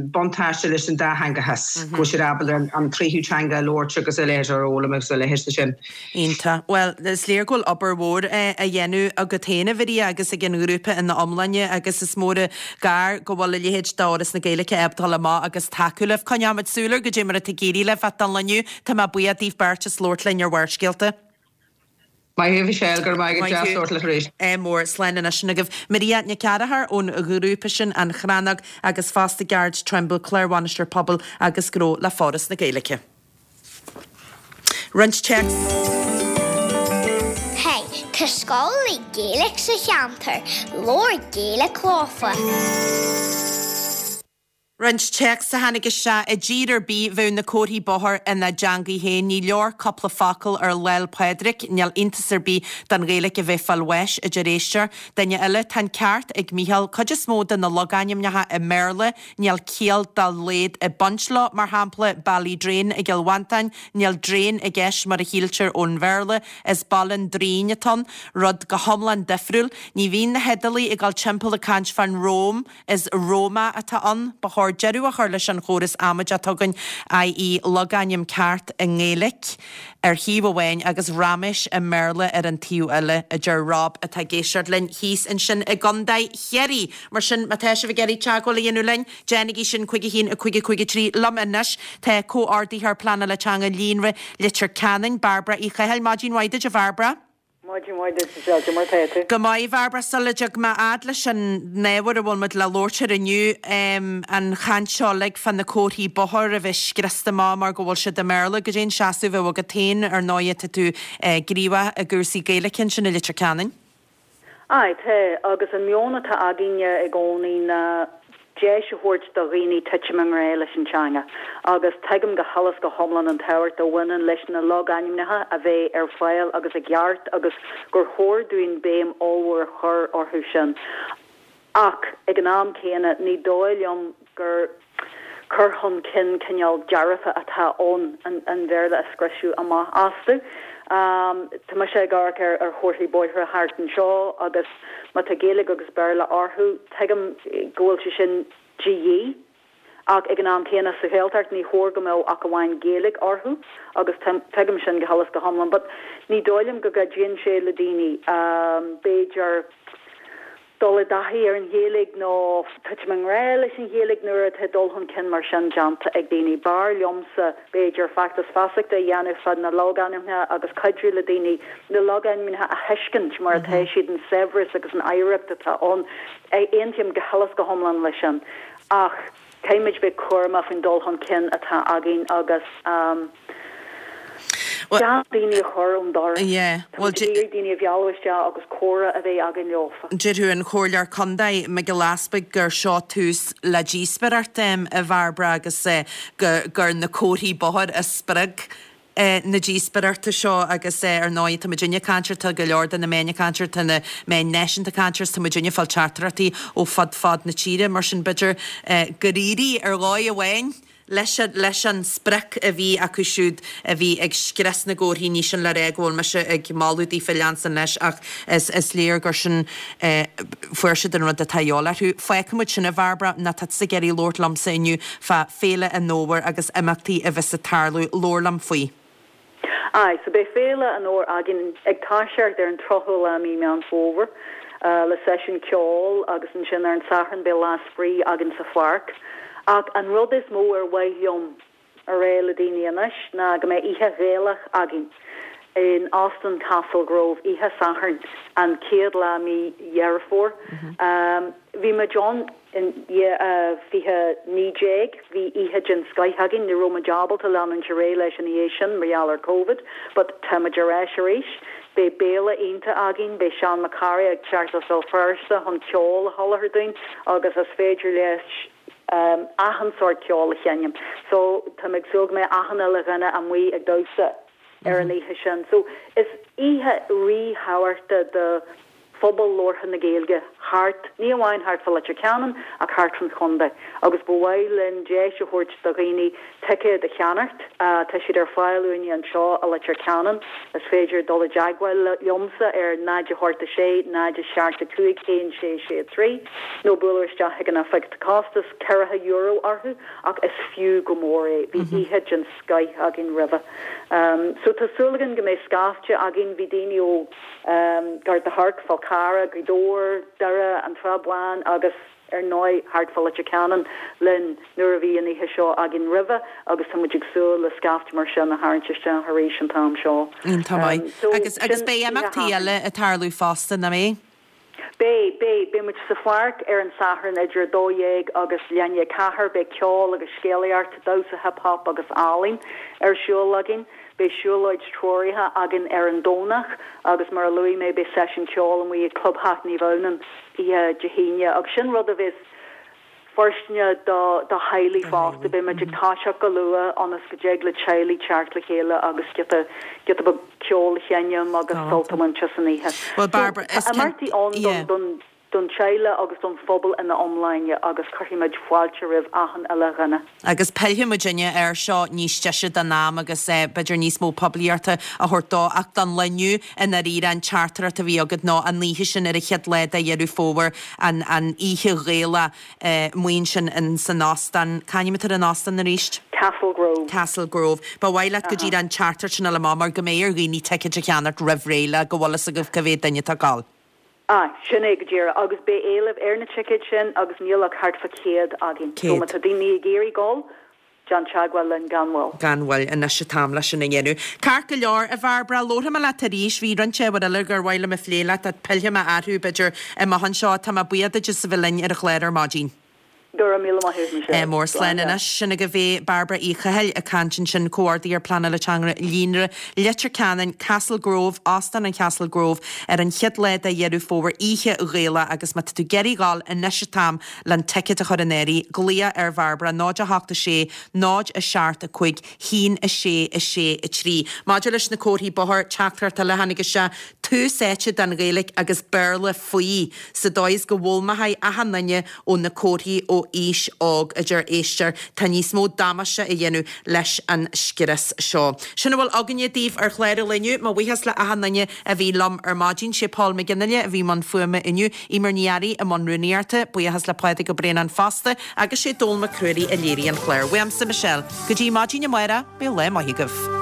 buntáiste leis an dátheangachas, go bhfuil siad ábalta an tríú teanga a labhairt agus a leithéid a fhoghlaim agus a leithéid de sin. Iontach. Bhuel, is léir go bhfuil obair mhór á dhéanamh agat féin, a Mharia, agus ag an ghrúpa ina iomláine agus is mór an gar go bhfuil a leithéid d'Fhoras na Gaeilge ábalta dul amach agus tacú libh. Coinneoimid súil ar goidé mar atá ag éirí libh ach don lá inniu, tá mé buíoch daoibh beirt as labhairt linn ar Bharrscéalta. Maith thú, a Mhichelle, go raibh maith agat, deas labhairt leat arís. Ádh mór, slán anois sin agaibh. Maria Nic Fhearchair ón ghrúpa sin, An Chrannóg, agus fosta Gearóid Trimble, Clár-Bhainisteoir Pobail agus Gnó le Foras na Gaeilge. Roinnt téacs. Hey, tá scoil le Gaeilge sa cheantar, labhair Gaeilge leofa. Roinnt téacs a tháinig isteach, I dtír ar bith bheadh na comharthaí bóthair ina dteangaidh féin. Ní leor cúpla focal ar Lá 'le Pádraig, níl iontas ar bith don Ghaeilge a bheith fáil bháis, a deir éisteoir. Duine eile, Tá an ceart ag Mícheál, cuid is mó de na logainmneacha i mBéarla, níl ciall dá laghad ag baint leo, mar shampla Ballydrain i gCill Mhantáin, níl drain i gceist mar a shíltear ón Bhéarla, is Baile an Draoin atá ann, rud go hiomlán difriúil. Ní bhíonn na hIodálaigh ag dul timpeall ag caint fán Róim, Is Roma atá ann. Ba chóir deireadh a chur leis an chóras amaideach atá againn, i.e. logainm ceart i nGaeilge ar thaobh amháin agus raiméis i mBéarla ar an taobh eile, a deir Rob atá ag éisteacht linn thíos ansin i gContae Chiarraí. Mar sin, má tá sibh ag iarraidh teagmháil a dhéanamh linn, déanaigí sin, cúig a haon, a cúig a cúig a trí. Liom anois tá Comhordaitheoir Pleanála Teanga Líonra Leitir Ceanainn, Bairbre Uí Chathail. Maidin mhaith duit, a Bhairbre. Maidin mhaith duit, Michelle, Cad é mar tá tú? Go maith, a Bhairbre, sula dtig mé fhad leis an ábhar a bhfuil muid le labhairt air inniu, an chaint seo uilig fá na comharthaí bóthair a bheith scriosta amach mar go bhfuil siad i mBéarla, goidé an seasamh a bheadh agat féin, ar ndóighe tá tú gníomhach i gcúrsaí Gaeilge ansin i Leitir Ceanainn. Aye, tá, agus an meon atá againne i gcónaí ná deis a thabhairt do dhaoine titim i ngrá leis an teanga agus tuigim go huile is go hiomlán an tábhacht a bhaineann leis na logainmneacha a bheith ar fáil agus i gceart agus gur chóir dúinn béim ollmhór a chur orthu sin. Ach ag an am céanna ní dóigh liom gur cur chun cinn cineál dearfa atá ann an Bhéarla a scriosadh amach astu. Tá mise ag amharc ar chomharthaí bóithre thart anseo agus má tá Gaeilge agus Béarla orthu, tuigim go bhfuil sé sin de dhíth ach ag an am céanna sa Ghaeltacht ní chóir go mbeadh ach amháin Gaeilge orthu agus tuigim sin go huile is go hiomlán but ní dóigh liom go gcuidíonn sé le daoine b'fhéidir dul i dtaithí ar an Ghaeilge nó titim i ngrá leis an Ghaeilge nuair atá dul chun cinn mar sin déanta ag daoine. B'fhearr liomsa, b'fhéidir, feachtas feasachta a dhéanamh fá na logainmneacha agus cuidiú le daoine na logainmneacha a thuiscint mar atá siad, an saibhreas agus an oidhreacht atá ann. Aontaím go huile is go hiomlán leis sin ach caithfimid bheith cúramach faoin dul chun cinn atá againn agus. Gan daoine a chur ón doras. Tá muid ag iarraidh daoine a mhealladh isteach agus comhrá a bheith againn leofa. Déarfadh an Comhairleoir Contae, Mhicheál Easpaig, gur seo tús le díospóireacht, a Bhairbre, agus gur na comharthaí bóthair a spreag na díospóireachta seo agus ar ndóigh tá muidinne ag caint air, tá go leor de na meáin ag caint air, tá na meáin náisiúnta ag caint air is tá muidinne ag fáil teachtaireachtaí ó fud fad na tíre mar sin b'fhéidir gur éirigh ar dhóigh amháin leis leis an sprioc a bhí acu siúd a bhí ag scrios na gcomharthaí. Ní sin le rá go bhfuil mise ag moladh daofa leanstan leis ach is is léir gur sin fuair siad an rud atá a dhíobháil orthu. Fágfaidh muid sin a Bhairbre, nó tá tusa ag iarraidh labhairt liomsa inniu fá Féile an Fhómhair agus imeachtaí a bheas ag tarlú. Labhair liom faoi. Aye, so beidh Féile an Fhómhair againn ag toiseacht ar an tríochadú lá mí Meán Fómhair le seisiún ceoil agus ansin ar an Satharn beidh lá spraoi againn sa pháirc. Ach an rud is mó ar mhaith liom a rá le daoine anois ná go mbeidh oíche Ghaelach againn in Óstán Castlegrove oíche Sathairn an chéad lá mí Dheireadh Fómhair. Bhí muid ann in fiche naoi déag, bhí oíche den scoith againn, ní raibh muid ábalta leanúint ar aghaidh leis ina dhiaidh sin mar gheall ar Covid but tá muid ar ais arís. Beidh béile iontach againn, beidh Seán Mac Carthaigh ag teacht as Béal Feirste chun ceol a sholáthar dúinn agus is féidir leis achan sórt ceoil a sheinm so tá mé ag súil go mbeidh achan uile dhuine amuigh ag damhsa ar an oíche sin. So is oíche ríthábhachtach do phobal labhartha na Gaeilge thart, ní amháin thart fá Leitir Ceanainn ach thart fan chontae agus ba mhaith linn deis a thabhairt do dhaoine ticéad a cheannacht. Tá siad ar fáil uainne anseo i Leitir Ceanainn. Is féidir dul i dteagmháil liomsa ar náid a hocht a sé, náid a seacht a cúig, haon sé sé trí nó bualadh isteach chuig an oifig. Tá costas ceathracha euro orthu ach is fiú go mór é. Bhí oíche den scoith againn roimhe. So tá súil againn go mbeidh scaifte againn. Bhí daoine ó Gort a' Choirce, Fál Carrach, Gaoth Dobhair, Doire, an Srath Bán agus ar ndóigh thart fá Leitir Ceanainn linn nuair a bhí an oíche seo againn roimhe agus tá muid ag súil le scaifte mar sin a tharraingt isteach arís an t-am seo. Iontach maith. So Agus agus sin beidh oíche imeachtaí Shathairn. eile ag tarlú fosta, nach mbeidh? Beidh, beidh. Beidh muid sa pháirc ar an Satharn idir a dó dhéag agus leath i ndiaidh a ceathair. Beidh ceol agus scéalaíocht, damhsa hip hop agus ealaín ar siúl againn. Beidh siúlóid treoraithe againn ar an Domhnach agus mar a luaigh mé beidh seisiún ceoil amuigh ag Clubtheach Naomh Adhamhnáin oíche Dé hAoine agus sin rud a bheas fóirsteanach do do theaghlaigh fosta. Beidh muid ag toiseacht go luath ionas go dtig le teaghlaigh teacht le chéile agus giota giota beag ceoil a sheinm agus sult a bhaint as an oíche. Well So Barbara, tá is cin imeachtaí ann don yeah. don don teaghlach agus don phobal ina iomláine agus cuirfidh muid fáilte roimh achan uile dhuine. Agus pillfidh muidinne air seo níos deise den am agus b'fhéidir níos mó poiblíochta a thabhairt dó ach don lá inniu i ndáiríre an teachtaireacht a bhí agat ná an oíche sin ar an chéad lá de Dheireadh Fómhair, an an oíche Ghaelach amuigh ansin in san óstán, c'ainm atá ar an óstán arís? Castle Grove. Castle Grove. Ba mhaith leat go díreach an teachtaireacht sin a fháil amach mar go mbeidh ar dhaoine ticéid a cheannacht roimh ré le go bhfuil fhios agaibh cá mhéad duine atá ag gabháil. Ah, sin é go díreach. Agus beidh éileamh ar na ticéid sin agus níl ach thart fá céad againn. So má Céad. tá daoine ag iarraidh dul, déan teagmháil linn gan mhoill. Gan mhoill, anois an t-am leis sin a dhéanamh. Ceart go leor, a Bhairbre, labharfaidh mé leat arís. Bhí roinnt ábhar eile gur mhaith liom a phlé leat ach pillfidh mé orthu, b'fhéidir, amach anseo. Tá mé buíoch duit as a bheith linn ar an chlár ar maidin. Go raibh míle maith agat, Michelle. Mór Slán slán anois. Sin agaibh é Bairbre Uí Chathail ag caint ansin, Comhordaitheoir Pleanála Teanga Líonra Leitir Ceanainn, Castle Grove, Óstán an Chastle Grove, ar an chéad lá de Dheireadh Fómhair, Oíche Ghaelach agus má tá tú ag iarraidh dhul, anois an t-am le an ticéad a chur in áirithe, glaoch ar Bhairbre, náid a hocht a sé, náid a seacht a cúig, haon a sé a sé a trí. Maidir leis na comharthaí bóthair, teachtaireacht eile a tháinig isteach, tús áite don Ghaeilge agus Béarla faoi, sa dóigh is go bhfoghlaimeoidh achan duine ó na comharthaí ó aois óg, a deir éisteoir. Tá níos mó damáiste á dhéanamh leis an scrios seo. Sin a bhfuil againne daoibh ar chlár an lae inniu. Mo bhuíochas le achan duine a bhí liom ar maidin. Sé Paul McGinley a bhí i mbun fuaime inniu, Eimear Ní Fhearraigh i mbun rúnaíochta, buíochas le Pádraig Ó Braonáin fosta agus sé Dónall Mac Ruairí a léirigh an clár. Uaimse Michelle. Go dtí maidin amárach, bíodh lá maith agaibh.